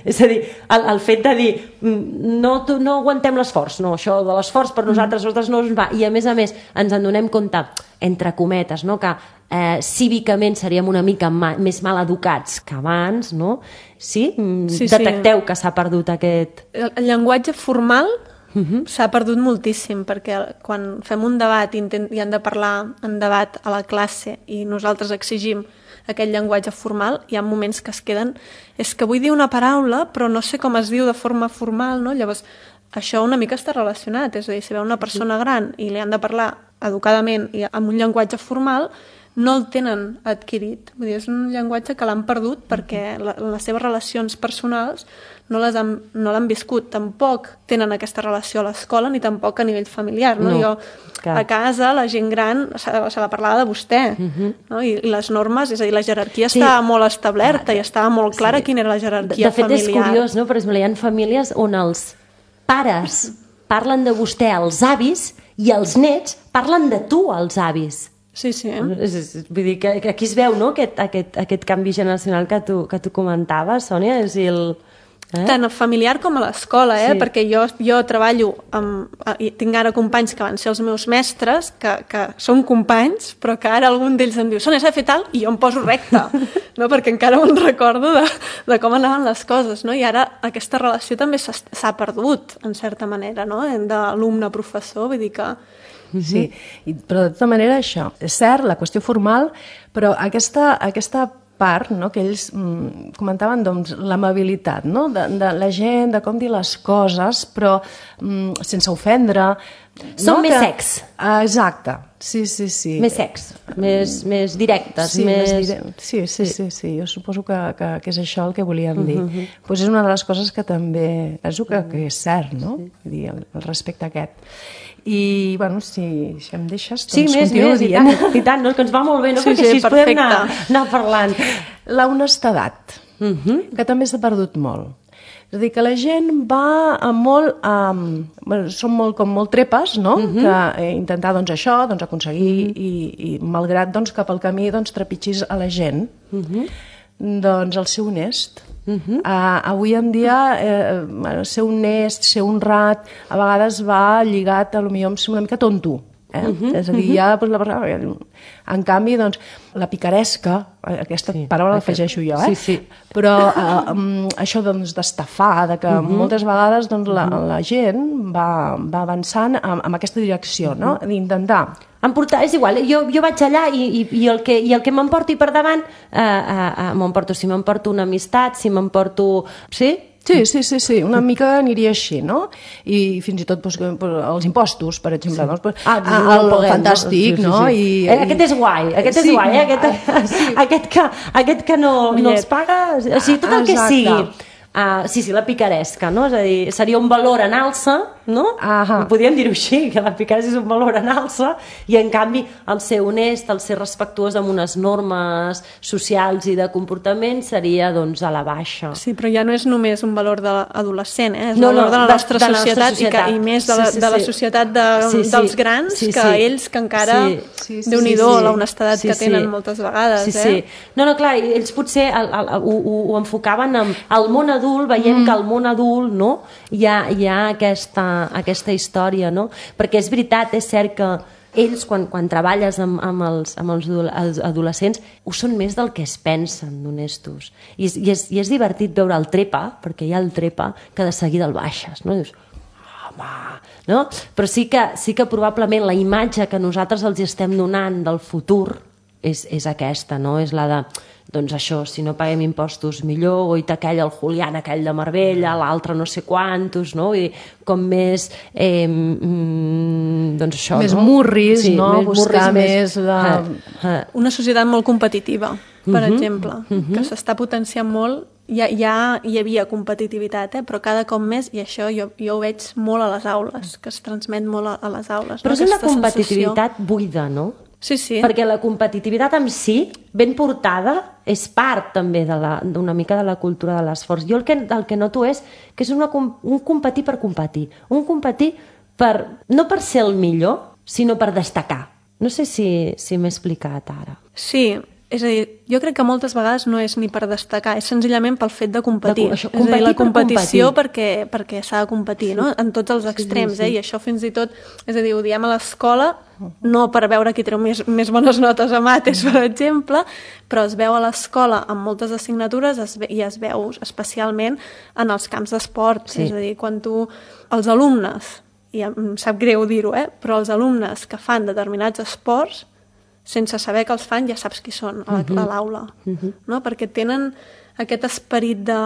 Speaker 1: És a dir, el, el fet de dir no, no aguantem l'esforç, no, això de l'esforç per nosaltres, nosaltres no ens va, i a més a més ens en donem compte, entre cometes, no? Que eh, cívicament seríem una mica ma, més mal educats que abans, no? Sí? sí Detecteu sí. que s'ha perdut aquest...
Speaker 3: El, el llenguatge formal uh-huh. s'ha perdut moltíssim, perquè quan fem un debat i, intent, i han de parlar en debat a la classe i nosaltres exigim aquest llenguatge formal, hi ha moments que es queden... És que vull dir una paraula, però no sé com es diu de forma formal, no? Llavors, això una mica està relacionat, és a dir, si veu una persona gran i li han de parlar educadament i amb un llenguatge formal, no el tenen adquirit. Vull dir, és un llenguatge que l'han perdut perquè la, les seves relacions personals no les han, no l'han viscut. Tampoc tenen aquesta relació a l'escola ni tampoc a nivell familiar. No? No, jo, clar. A casa, la gent gran s'ha de, s'ha de parlar de vostè. Uh-huh. No? I, I les normes, és a dir, la jerarquia sí. estava molt establerta ah, i estava molt clara sí. quina era la jerarquia familiar.
Speaker 1: De fet, familiar. És curiós, no? Per exemple, hi ha famílies on els pares parlen de vostè als avis i els nets parlen de tu als avis.
Speaker 3: Sí, sí.
Speaker 1: Vull dir que aquí es veu, no?, aquest, aquest, aquest canvi generacional que tu, que tu comentaves, Sònia, és el...
Speaker 3: Eh? Tant familiar com a l'escola, eh? Sí. Perquè jo, jo treballo amb... i tinc ara companys que van ser els meus mestres, que, que són companys, però que ara algun d'ells em diu, Sònia, s'ha de fer tal, i jo em poso recte, no? Perquè encara me'n recordo de, de com anaven les coses, no? I ara aquesta relació també s'ha perdut, en certa manera, no? D'alumne-professor, vull dir que...
Speaker 2: Sí, I, però de tota manera això, és cert, la qüestió formal, però aquesta, aquesta part, no, que ells mm, comentaven, doncs, l'amabilitat, no, de, de la gent, de com dir les coses, però mm, sense ofendre.
Speaker 1: Són
Speaker 2: no,
Speaker 1: més
Speaker 2: que...
Speaker 1: secs.
Speaker 2: Ah, exacte, sí, sí, sí.
Speaker 1: Més secs, més, més directes.
Speaker 2: Sí,
Speaker 1: més...
Speaker 2: més dire... sí, sí, sí, sí, jo suposo que, que, que és això el que volíem dir. Uh-huh. Pues és una de les coses que també, penso que, que és cert, no? Vull dir, el, el respecte aquest. I, bueno, si, si em deixes, doncs
Speaker 1: sí, més,
Speaker 2: continuo
Speaker 1: més,
Speaker 2: dient.
Speaker 1: I tant, i tant, no, que ens va molt bé, no?
Speaker 3: Sí,
Speaker 1: Perquè
Speaker 3: sí,
Speaker 1: així podem anar, anar parlant.
Speaker 2: La honestedat, uh-huh. que també s'ha perdut molt. És a dir, que la gent va a molt... Um, bueno, són molt, com molt trepes, no? Uh-huh. Que eh, intentar, doncs, això, doncs, aconseguir, uh-huh. i, i malgrat, doncs, cap al camí, doncs, trepitgis a la gent, uh-huh. doncs, el ser honest. Uh-huh. Uh, avui en dia eh, bueno, ser honest, ser honrat a vegades va lligat a lo millor amb ser una mica tonto, Eh? Uh-huh, és a dir, ja doncs, la persona... En canvi, doncs, la picaresca, aquesta sí, paraula l'afegeixo jo, eh?
Speaker 1: Sí, sí.
Speaker 2: Però eh, um, això doncs, d'estafar, de que uh-huh. moltes vegades doncs, la, la gent va, va avançant en, en aquesta direcció, no? D'intentar...
Speaker 1: Em porta, és igual, jo, jo vaig allà i, i, i el que, i el que m'emporti per davant, eh, eh, eh, m'emporto, si m'emporto una amistat, si m'emporto... Sí?
Speaker 2: Sí, sí, sí, sí, una mica aniria així, no? I fins i tot doncs, els impostos, per exemple, sí. doncs,
Speaker 1: ah,
Speaker 2: el, el poguem, fantàstic, no? Sí, sí, sí.
Speaker 1: no? I, aquest és guai, aquest sí. és guai, eh? aquest, sí. aquest, que, aquest que no, no els paga, o sigui, tot el que Exacte. sigui. Uh, sí, sí, la picaresca, no? És a dir, seria un valor en alça, no?
Speaker 2: Ahà.
Speaker 1: Podríem dir-ho així, que la picaresca és un valor en alça i, en canvi, el ser honest, el ser respectuós amb unes normes socials i de comportament seria, doncs, a la baixa.
Speaker 3: Sí, però ja no és només un valor de l'adolescent, eh? És
Speaker 1: no,
Speaker 3: un valor
Speaker 1: no,
Speaker 3: de la nostra,
Speaker 1: de, de
Speaker 3: societat,
Speaker 1: nostra societat
Speaker 3: i, que, i més de la, sí, sí, de la societat de,
Speaker 1: sí, sí.
Speaker 3: dels grans,
Speaker 1: sí, sí.
Speaker 3: que ells que encara,
Speaker 1: sí, sí, sí,
Speaker 3: déu-n'hi-do,
Speaker 1: sí, sí.
Speaker 3: la honestedat sí, que tenen sí. moltes vegades.
Speaker 1: Sí,
Speaker 3: eh?
Speaker 1: sí. No, no, clar, ells potser el, el, el, ho, ho enfocaven amb el món adult, veiem mm. que al món adult, no?, hi ha, hi ha aquesta, aquesta història, no? Perquè és veritat, és cert que ells, quan, quan treballes amb, amb, els, amb els, els adolescents, ho són més del que es pensen d'honestos. I, i, és, I és divertit veure el trepa, perquè hi ha el trepa, que de seguida el baixes, no? I dius, home, no? Però sí que, sí que probablement la imatge que nosaltres els estem donant del futur és, és aquesta, no? És la de... doncs això, si no paguem impostos millor, o aquell el Julián, aquell de Marbella, l'altre no sé quantos, no? I com més eh, mm, doncs això,
Speaker 2: més
Speaker 1: no?
Speaker 2: murris,
Speaker 1: sí,
Speaker 2: no?
Speaker 1: Més
Speaker 2: buscar
Speaker 1: murris,
Speaker 2: més de...
Speaker 1: Eh, eh.
Speaker 3: Una societat molt competitiva, per uh-huh, exemple,
Speaker 1: uh-huh.
Speaker 3: que s'està potenciant molt. Ja, ja hi havia competitivitat, eh? Però cada cop més, i això jo, jo ho veig molt a les aules, que es transmet molt a, a les aules.
Speaker 1: Però
Speaker 3: no?
Speaker 1: és una
Speaker 3: Aquesta
Speaker 1: competitivitat
Speaker 3: sensació...
Speaker 1: buida, no?
Speaker 3: Sí, sí.
Speaker 1: Perquè la competitivitat en si, ben portada, és part també d'una mica de la cultura de l'esforç. Jo el que, el que noto és que és una, un competir per competir. Un competir per, no per ser el millor, sinó per destacar. No sé si, si m'he explicat ara.
Speaker 3: Sí, és a dir, jo crec que moltes vegades no és ni per destacar, és senzillament pel fet de competir.
Speaker 1: De, això,
Speaker 3: és a dir, la competició
Speaker 1: per
Speaker 3: perquè, perquè s'ha de competir, sí. no? En tots els extrems,
Speaker 1: sí, sí, sí.
Speaker 3: eh? I això fins i tot, és a dir, ho diem a l'escola, no per veure qui treu més, més bones notes a mates, per exemple, però es veu a l'escola amb moltes assignatures es ve, i es veu especialment en els camps d'esport. Sí. És a dir, quan tu, els alumnes, i em sap greu dir-ho, eh? Però els alumnes que fan determinats esports, sense saber que els fan, ja saps qui són a l'aula, uh-huh. no? Perquè tenen aquest esperit de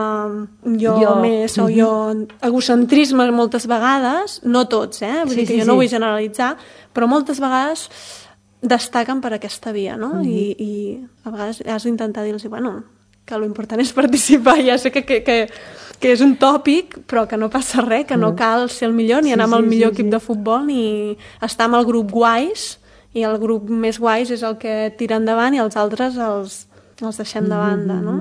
Speaker 3: jo, jo. més o uh-huh. jo, egocentrisme moltes vegades, no tots, eh? Vull sí, dir que sí, jo sí. no vull generalitzar, però moltes vegades destaquen per aquesta via, no? Uh-huh. I, i a vegades has d'intentar dir-los, bueno, que l'important és participar, ja sé que, que, que, que és un tòpic, però que no passa res, que no cal ser el millor, ni anar sí, amb el millor sí, equip sí. de futbol, ni estar amb el grup guais, i el grup més guais és el que tira endavant i els altres els, els deixem de banda, no?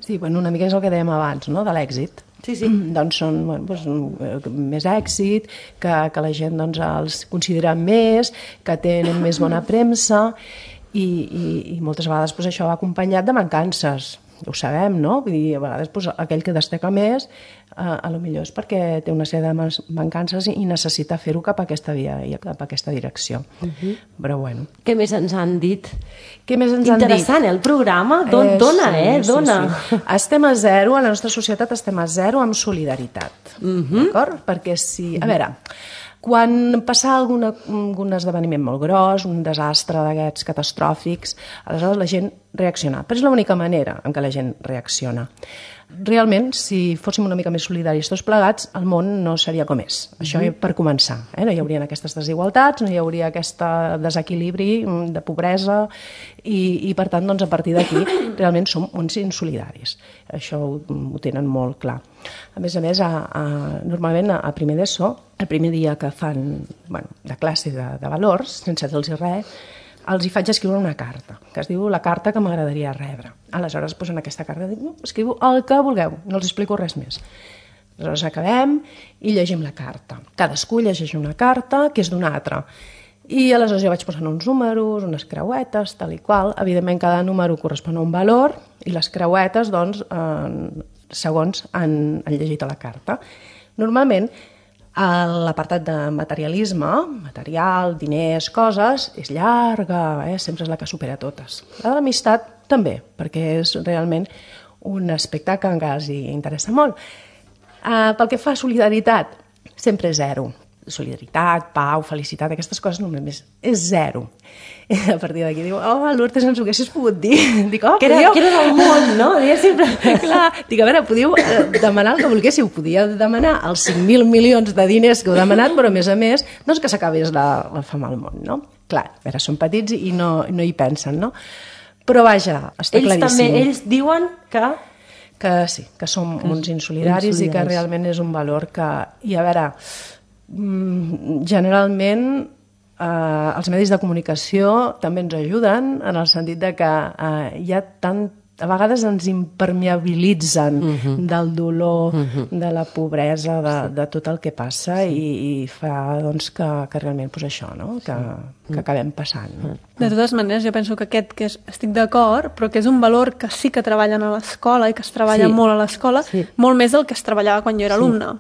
Speaker 2: Sí, bueno, una mica és el que dèiem abans, no?, de l'èxit.
Speaker 1: Sí, sí.
Speaker 2: Doncs són bueno, doncs, més èxit, que, que la gent doncs, els considera més, que tenen més bona premsa i, i, i moltes vegades doncs, això va acompanyat de mancances. Ho sabem, no? Vull dir, a vegades doncs, aquell que destaca més eh, a lo millor és perquè té una sèrie de mancances i necessita fer-ho cap a aquesta via i cap a aquesta direcció. Uh-huh. Però bueno.
Speaker 1: Què més ens han dit?
Speaker 2: Què més ens han dit?
Speaker 1: Interessant, eh, el programa? Don, eh, dona, sí, eh? Dona.
Speaker 2: Sí, sí. Estem a zero, a la nostra societat estem a zero amb solidaritat. Uh-huh. D'acord? Perquè si... A veure... Quan passa algun, algun esdeveniment molt gros, un desastre d'aquests catastròfics, aleshores la gent reacciona. Però és l'única manera en què la gent reacciona. Realment, si fóssim una mica més solidaris tots plegats, el món no seria com és. Això mm-hmm. per començar. Eh? No hi haurien aquestes desigualtats, no hi hauria aquest desequilibri de pobresa i, i per tant, doncs, a partir d'aquí, realment som uns insolidaris. Això ho, ho tenen molt clar. A més a més, a, a, normalment a, a primer d'ESO, el primer dia que fan bueno, de classe de, de valors, sense dir-los res, els hi faig escriure una carta, que es diu la carta que m'agradaria rebre. Aleshores, doncs, en aquesta carta dic, no, escriu el que vulgueu, no els explico res més. Aleshores acabem i llegim la carta. Cadascú llegeix una carta que és d'un altre. I aleshores jo vaig posant uns números, unes creuetes, tal i qual. Evidentment, cada número correspon a un valor i les creuetes, doncs, eh, segons han, han llegit a la carta. Normalment, L'apartat de materialisme, material, diners, coses, és llarga, eh? Sempre és la que supera totes. La de l'amistat també, perquè és realment un aspecte que encara els interessa molt. Uh, pel que fa a solidaritat, sempre és zero. Solidaritat, pau, felicitat, aquestes coses només és zero. I a partir d'aquí diu, oh, Lourdes, ens ho haguessis pogut dir. Dic, oh,
Speaker 1: que, era, podíeu... que era del món, no? Digue sempre...
Speaker 2: Clar, dic, a veure, podíeu demanar el que volguéssiu, podíeu demanar els cinc mil milions de diners que heu demanat, però a més a més, doncs que s'acabés la, la fam al món, no? Clar, a veure, són petits i no, no hi pensen, no? Però vaja, està
Speaker 1: ells
Speaker 2: claríssim.
Speaker 1: També, ells diuen que...
Speaker 2: Que sí, que som que uns insolidaris, insolidaris i que realment és un valor que... I a veure... generalment eh, els medis de comunicació també ens ajuden en el sentit de que eh, hi ha tant, a vegades ens impermeabilitzen uh-huh. del dolor, uh-huh. de la pobresa, de, sí. de tot el que passa sí. i, i fa doncs, que, que realment pues, això, no? que, sí. que acabem passant. No?
Speaker 3: De totes maneres, jo penso que aquest, que és, estic d'acord, però que és un valor que sí que treballen a l'escola i que es treballa sí. molt a l'escola, sí. molt més del que es treballava quan jo era sí. alumne.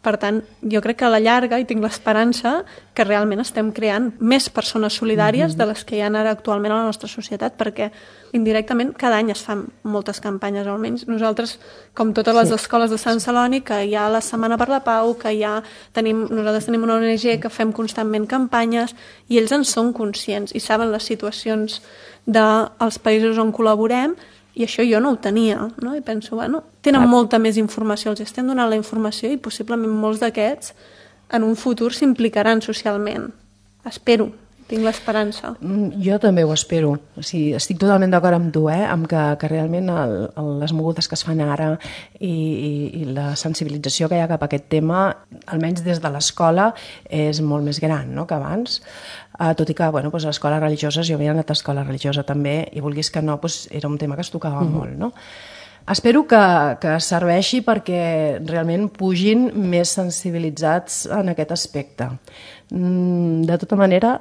Speaker 3: Per tant, jo crec que a la llarga i tinc l'esperança que realment estem creant més persones solidàries mm-hmm. de les que hi ha ara actualment a la nostra societat, perquè indirectament cada any es fan moltes campanyes, almenys nosaltres, com totes les sí. escoles de Sant Celoni, que hi ha la Setmana per la Pau, que ja tenim, nosaltres tenim una O N G que fem constantment campanyes i ells en són conscients i saben les situacions dels països on col·laborem. I això jo no ho tenia, no? I penso, bueno, tenen molta més informació, els estem donant la informació i possiblement molts d'aquests en un futur s'implicaran socialment. Espero, tinc l'esperança.
Speaker 2: Jo també ho espero. O sigui, estic totalment d'acord amb tu, eh? Amb que, que realment el, el, les mogudes que es fan ara i, i, i la sensibilització que hi ha cap a aquest tema, almenys des de l'escola, és molt més gran, no?, que abans. Uh, tot i que, bueno, doncs, a escoles religioses, jo havia anat a escola religiosa també, i vulguis que no, doncs, era un tema que es tocava mm-hmm. molt, no? Espero que, que serveixi perquè realment pugin més sensibilitzats en aquest aspecte. Mm, de tota manera,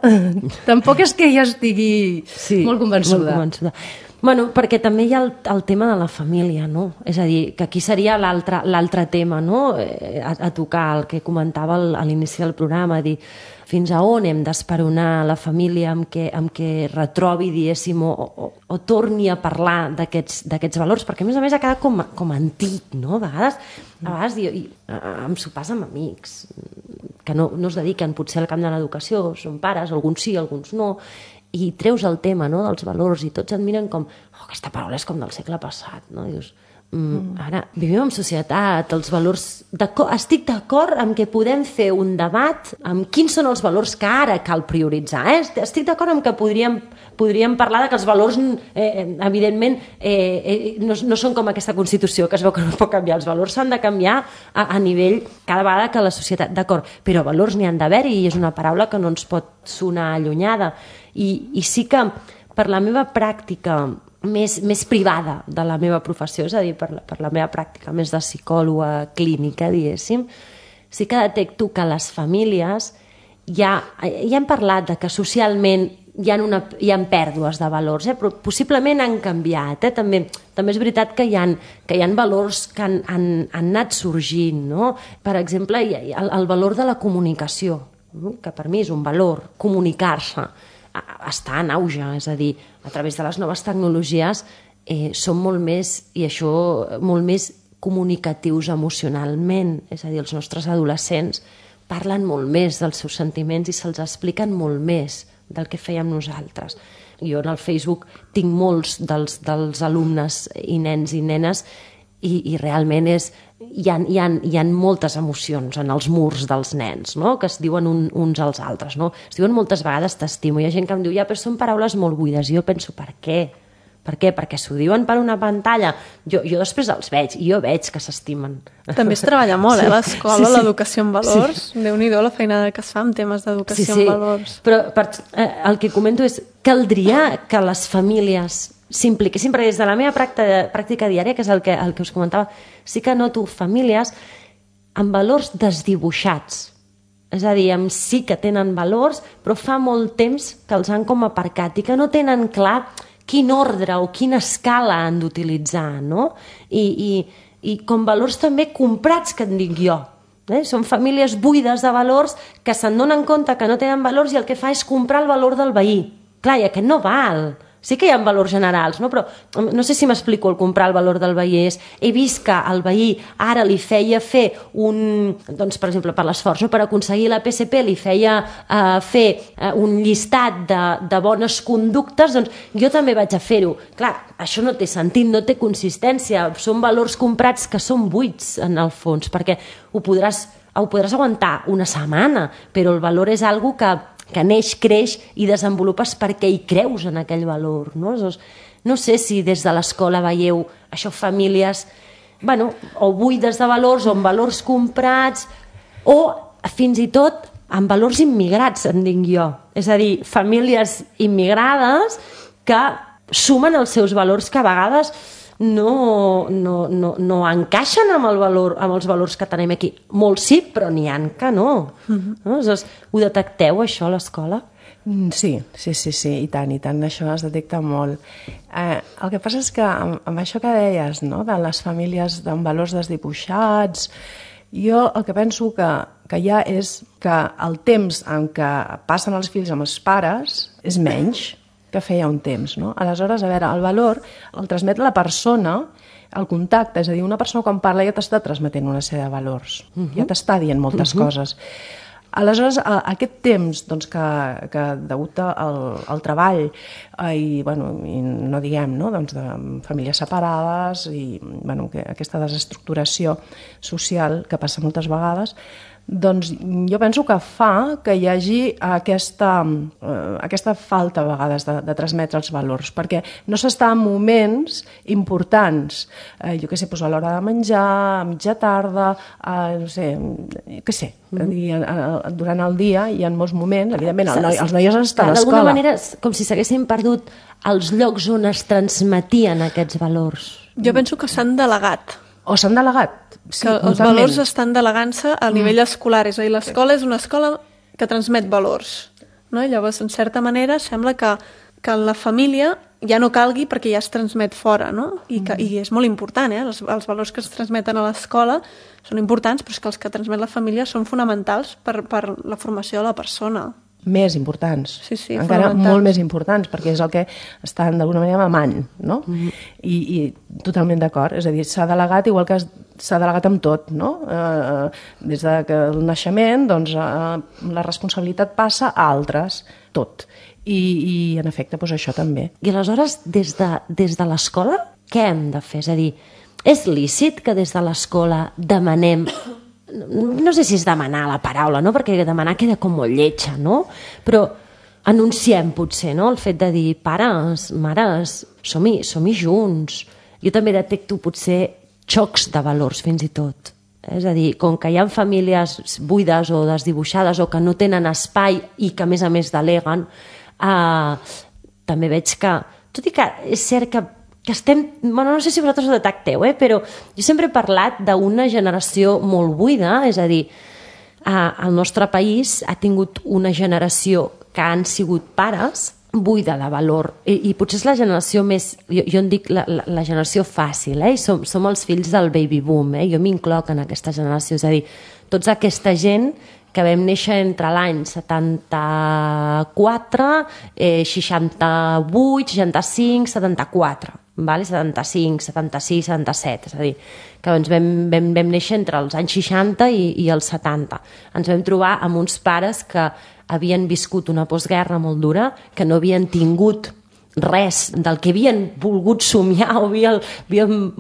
Speaker 2: tampoc és que ja estigui sí, molt convençuda.
Speaker 1: Molt convençuda. Bueno, perquè també hi ha el, el tema de la família, no? És a dir, que aquí seria l'altre l'altre tema, no? A, a tocar, el que comentava al, a l'inici del programa, dir fins a on hem d'esperonar la família amb què, amb què retrobi, diguéssim, o, o, o torni a parlar d'aquests d'aquests valors, perquè a més a més ha quedat com, com antic, no? A vegades, a vegades jo, i, em sopars amb amics que no, no es dediquen potser al camp de l'educació, són pares, alguns sí, alguns no, i treus el tema, no?, dels valors i tots et miren com, oh, aquesta paraula és com del segle passat, no? I dius, mm, ara vivim en societat, els valors, estic d'acord amb que podem fer un debat amb quins són els valors que ara cal prioritzar, eh? Estic d'acord amb que podríem, podríem parlar de que els valors eh, evidentment eh, eh, no, no són com aquesta Constitució que es veu que no pot canviar, els valors s'han de canviar a, a nivell cada vegada que la societat, d'acord, però valors n'hi han d'haver i és una paraula que no ens pot sonar allunyada. I, i sí que per la meva pràctica més, més privada de la meva professió, és a dir, per la, per la meva pràctica més de psicòloga clínica, diguéssim, sí que detecto que les famílies ja, ja hem parlat de que socialment hi ha, una, hi ha pèrdues de valors, eh? Però possiblement han canviat. Eh? També, també és veritat que hi ha, que hi ha valors que han, han, han anat sorgint. No? Per exemple, hi ha el, el valor de la comunicació, no? Que per mi és un valor, comunicar-se, està en auge, és a dir, a través de les noves tecnologies eh, són molt més, i això, molt més comunicatius emocionalment, és a dir, els nostres adolescents parlen molt més dels seus sentiments i se'ls expliquen molt més del que fèiem nosaltres. Jo en el Facebook tinc molts dels, dels alumnes i nens i nenes i, i realment és, hi ha, hi, ha, hi ha moltes emocions en els murs dels nens, no? Que es diuen un, uns als altres, no? Es diuen moltes vegades t'estimo, hi ha gent que em diu ja, però són paraules molt buides, i jo penso, per què? Per què? Perquè s'ho diuen per una pantalla. Jo, jo després els veig, i jo veig que s'estimen.
Speaker 3: També es treballa molt, eh, a l'escola, sí, sí. L'educació en valors. Sí. Déu-n'hi-do la feinada que es fa amb temes d'educació sí, sí. en valors.
Speaker 1: Però per, eh, el que comento és, caldria que les famílies s'impliquessin, perquè des de la meva pràctica, pràctica diària, que és el que, el que us comentava, sí que noto famílies amb valors desdibuixats. És a dir, amb sí que tenen valors, però fa molt temps que els han com aparcat i que no tenen clar quin ordre o quina escala han d'utilitzar, no? I, i, i com valors també comprats, que en dic jo, Eh? Són famílies buides de valors que se'n donen compte que no tenen valors i el que fa és comprar el valor del veí. Clar, i aquest no val. Sí que hi ha valors generals, no? Però no sé si m'explico el comprar el valor del veí. És, he vist que el veí ara li feia fer un... Doncs, per exemple, per l'esforç, no? Per aconseguir la P S P li feia uh, fer uh, un llistat de, de bones conductes, doncs jo també vaig a fer-ho. Clar, això no té sentit, no té consistència. Són valors comprats que són buits, en el fons, perquè ho podràs, ho podràs aguantar una setmana, però el valor és algo que que neix, creix i desenvolupes perquè hi creus en aquell valor. No, no sé si des de l'escola veieu això, famílies bueno, o buides de valors o amb valors comprats o fins i tot amb valors immigrats, en dic jo. És a dir, famílies immigrades que sumen els seus valors que a vegades no, no, no, no encaixen amb, el valor, amb els valors que tenim aquí. Molts sí, però n'hi ha que no. Uh-huh. No? Aleshores, ho detecteu, això, a l'escola?
Speaker 2: Sí, sí, sí, sí, i tant, i tant, això es detecta molt. Eh, el que passa és que amb, amb això que deies, no?, de les famílies amb valors desdibuixats, jo el que penso que, que hi ha és que el temps en què passen els fills amb els pares és menys que feia un temps, no? Aleshores, a veure, el valor el transmet la persona, el contacte, és a dir, una persona quan parla ja t'està transmetent una sèrie de valors, uh-huh. ja t'està dient moltes uh-huh. coses. Aleshores, aquest temps doncs, que, que degut al, al treball eh, i, bueno, i no diguem, no? Doncs de famílies separades i bueno, que aquesta desestructuració social que passa moltes vegades, doncs jo penso que fa que hi hagi aquesta, eh, aquesta falta a vegades de, de transmetre els valors, perquè no s'està en moments importants, eh, jo què sé, doncs a l'hora de menjar, a mitja tarda, a, no sé, què sé, mm-hmm. a, a, durant el dia hi ha molts moments, evidentment el noi, els noies estan a l'escola.
Speaker 1: D'alguna manera, com si s'haguessin perdut els llocs on es transmetien aquests valors.
Speaker 3: Jo penso que s'han delegat.
Speaker 2: O s'han delegat. Sí,
Speaker 3: que els valors estan delegant-se a nivell mm. escolar, és a dir, l'escola és una escola que transmet valors, no? I llavors, en certa manera, sembla que, que la família ja no calgui perquè ja es transmet fora, no? I, que, mm. i és molt important, eh? Els, els valors que es transmeten a l'escola són importants, però és que els que transmet la família són fonamentals per, per la formació de la persona.
Speaker 2: Més importants,
Speaker 3: sí, sí,
Speaker 2: encara molt més importants, perquè és el que estan d'alguna manera mamant, no? Mm-hmm. I, i totalment d'acord, és a dir, s'ha delegat igual que s'ha delegat amb tot, no? Eh, des de que el naixement, doncs, eh, la responsabilitat passa a altres, tot. I, i en efecte, doncs això també.
Speaker 1: I aleshores, des de, des de l'escola, què hem de fer? És a dir, és lícit que des de l'escola demanem... No sé si és demanar la paraula, no? Perquè demanar queda com molt lletja, no? Però anunciem potser, no? El fet de dir, pares, mares, som-hi, som-hi junts. Jo també detecto potser xocs de valors fins i tot. És a dir, com que hi ha famílies buides o desdibuixades o que no tenen espai i que a més a més deleguen, eh, també veig que, tot i que és cert que que estem, bueno, no sé si vosaltres ho detecteu, eh, però jo sempre he parlat d'una generació molt buida, és a dir, eh, el nostre país ha tingut una generació que han sigut pares buida de valor, i, i potser és la generació més, jo, jo en dic la, la, la generació fàcil, eh, i som, som els fills del baby boom, eh, jo m'incloc en aquesta generació, és a dir, tota aquesta gent que vam néixer entre l'any setanta-quatre, eh, seixanta-vuit, seixanta-cinc, setanta-quatre, vale? setanta-cinc, setanta-sis, setanta-set, és a dir, que doncs vam, vam, vam néixer entre els anys seixanta i, i els setanta. Ens vam trobar amb uns pares que havien viscut una postguerra molt dura, que no havien tingut res del que havien volgut somiar o havien, havien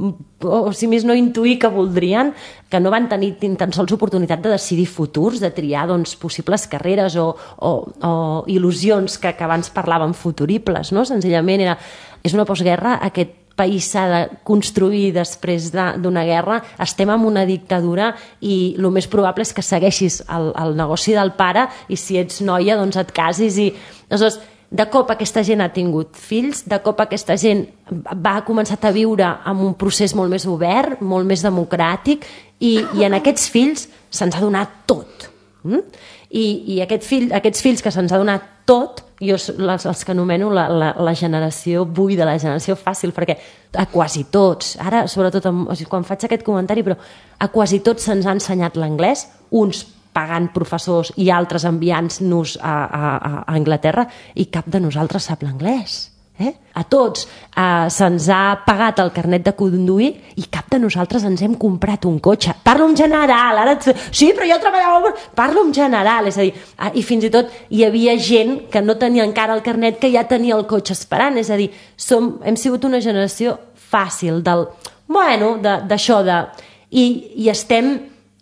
Speaker 1: o si més no intuir que voldrien, que no van tenir ni tan sols oportunitat de decidir futurs, de triar doncs, possibles carreres o, o, o il·lusions que, que abans parlàvem futuribles, no? Senzillament era, és una postguerra, aquest país s'ha de construir després d'una guerra, estem en una dictadura i el més probable és que segueixis el, el negoci del pare i si ets noia doncs et casis i... Aleshores, de cop aquesta gent ha tingut fills, de cop aquesta gent va començar a viure amb un procés molt més obert, molt més democràtic, i, i en aquests fills se'ns ha donat tot. Mm? I, i aquest fill, aquests fills que se'ns ha donat tot, jo les, els que anomeno la, la, la generació buida, la generació fàcil, perquè a quasi tots, ara sobretot amb, o sigui, quan faig aquest comentari, però a quasi tots se'ns ha ensenyat l'anglès, uns pagant professors i altres enviant-nos a, a, a Anglaterra, i cap de nosaltres sap l'anglès. Eh? A tots eh, se'ns ha pagat el carnet de conduir i cap de nosaltres ens hem comprat un cotxe. Parlo en general, ara et... sí, però jo treballava... Parlo en general, és a dir, eh, i fins i tot hi havia gent que no tenia encara el carnet que ja tenia el cotxe esperant, és a dir, som, hem sigut una generació fàcil del... Bueno, d'això de... I, i estem...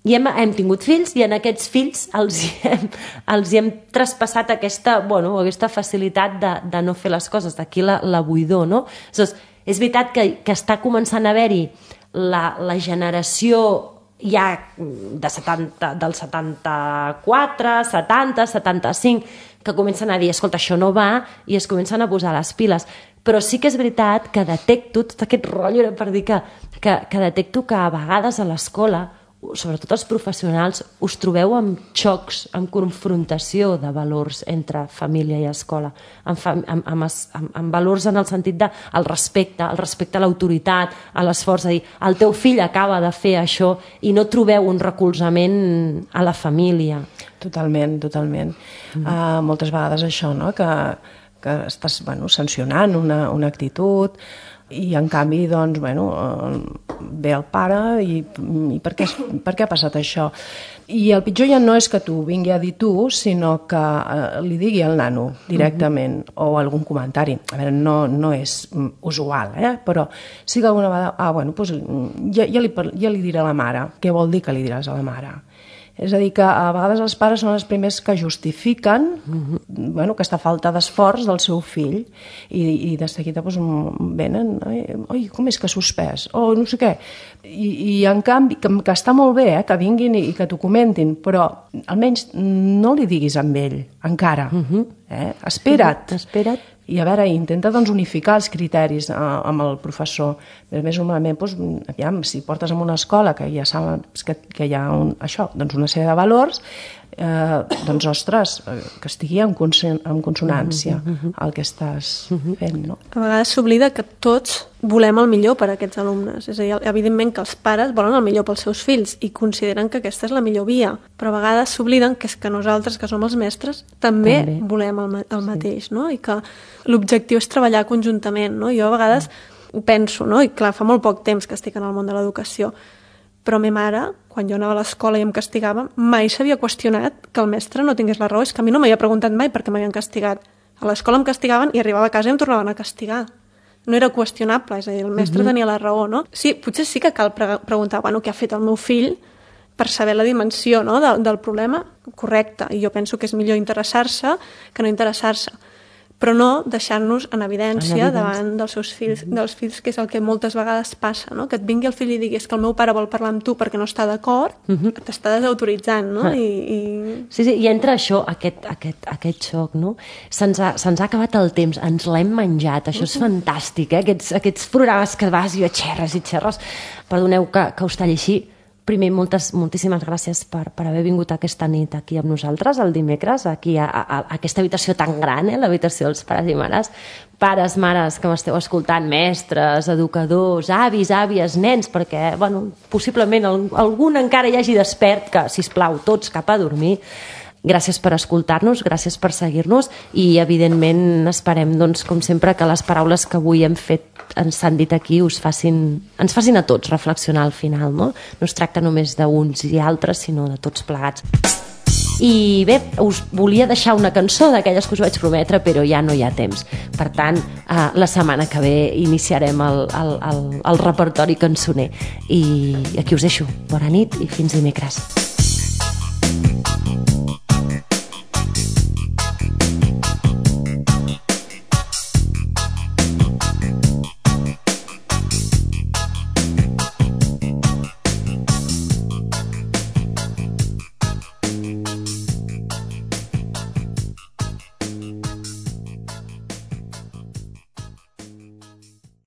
Speaker 1: I hem, hem tingut fills i en aquests fills els hem, els hem traspassat aquesta, bueno, aquesta facilitat de, de no fer les coses, d'aquí la, la buidor, no? Llavors, és veritat que, que està començant a haver-hi la, la generació ja de setanta, del setanta-quatre, setanta, setanta-cinc, que comencen a dir, escolta, això no va, i es comencen a posar les piles. Però sí que és veritat que detecto, tot aquest rotllo era per dir que, que, que detecto que a vegades a l'escola, sobretot els professionals, us trobeu amb xocs, amb confrontació de valors entre família i escola, amb, fam amb, amb, amb, amb valors en el sentit de el respecte, el respecte a l'autoritat, a l'esforç, a dir, el teu fill acaba de fer això i no trobeu un recolzament a la família.
Speaker 2: Totalment, totalment. Mm. Uh, moltes vegades això, no?, que, que estàs, bueno, sancionant una, una actitud, i en canvi, doncs, bueno, ve el pare i, i per, què, per què ha passat això? I el pitjor ja no és que t'ho vingui a dir tu, sinó que eh, li digui al nano directament, mm-hmm. o algun comentari. A veure, no, no és usual, eh? Però sí que alguna vegada, ah, bueno, doncs ja, ja, li, ja li diré a la mare. Què vol dir que li diràs a la mare? És a dir, que a vegades els pares són els primers que justifiquen mm-hmm. bueno, aquesta falta d'esforç del seu fill i, i de seguida doncs, venen, oi, com és que ha suspès? O no sé què. I, i en canvi, que, que està molt bé eh, que vinguin i, i que t'ho comentin, però almenys no li diguis amb ell, encara. Mm-hmm. eh? Espera't.
Speaker 1: Espera't.
Speaker 2: I a veure, intenta doncs, unificar els criteris eh, amb el professor. A més, normalment, doncs, aviam, si portes en una escola que ja saps que, que hi ha un, això, doncs una sèrie de valors, eh, doncs, ostres, que estigui en, consen en consonància el que estàs fent, no?
Speaker 3: A vegades s'oblida que tots volem el millor per a aquests alumnes. És a dir, evidentment que els pares volen el millor pels seus fills i consideren que aquesta és la millor via, però a vegades s'obliden que és que nosaltres, que som els mestres, també, també. volem el, el mateix, no? I que l'objectiu és treballar conjuntament, no? Jo a vegades ho penso, no? I clar, fa molt poc temps que estic en el món de l'educació, però ma mare, quan jo anava a l'escola i em castigava, mai s'havia qüestionat que el mestre no tingués la raó. És que a mi no m'havia preguntat mai per què m'havien castigat. A l'escola em castigaven i arribava a casa i em tornaven a castigar. No era qüestionable, és a dir, el mestre uh-huh. tenia la raó, no? Sí, potser sí que cal pre preguntar, bueno, què ha fet el meu fill per saber la dimensió, no?, del, del problema, correcte. I jo penso que és millor interessar-se que no interessar-se. Però no deixar-nos en evidència, en evidència davant dels seus fills, uh-huh. dels fills, que és el que moltes vegades passa, no? Que et vingui el fill i diguis que el meu pare vol parlar amb tu perquè no està d'acord, uh-huh. t'està desautoritzant, no? Uh-huh. I, i...
Speaker 1: Sí, sí, i entra això, aquest, aquest, aquest xoc, no? Se'ns ha, se'ns ha acabat el temps, ens l'hem menjat, això és uh-huh. fantàstic, eh? Aquests, aquests programes que vas i xerres i xerres, perdoneu que, que us talli així. Primer, moltes, moltíssimes gràcies per, per haver vingut aquesta nit aquí amb nosaltres, el dimecres, aquí a, a, a aquesta habitació tan gran, eh, l'habitació dels pares i mares. Pares, mares que m'esteu escoltant, mestres, educadors, avis, àvies, nens, perquè, bueno, possiblement algun encara hi hagi despert, que, sisplau, tots cap a dormir. Gràcies per escoltar-nos, gràcies per seguir-nos i, evidentment, esperem, doncs, com sempre, que les paraules que avui hem fet, ens han dit aquí, us facin, ens facin a tots reflexionar al final, no? No es tracta només d'uns i altres, sinó de tots plegats. I bé, us volia deixar una cançó d'aquelles que us vaig prometre, però ja no hi ha temps. Per tant, eh, la setmana que ve iniciarem el, el, el, el repertori cançoner. I aquí us deixo. Bona nit i fins dimecres.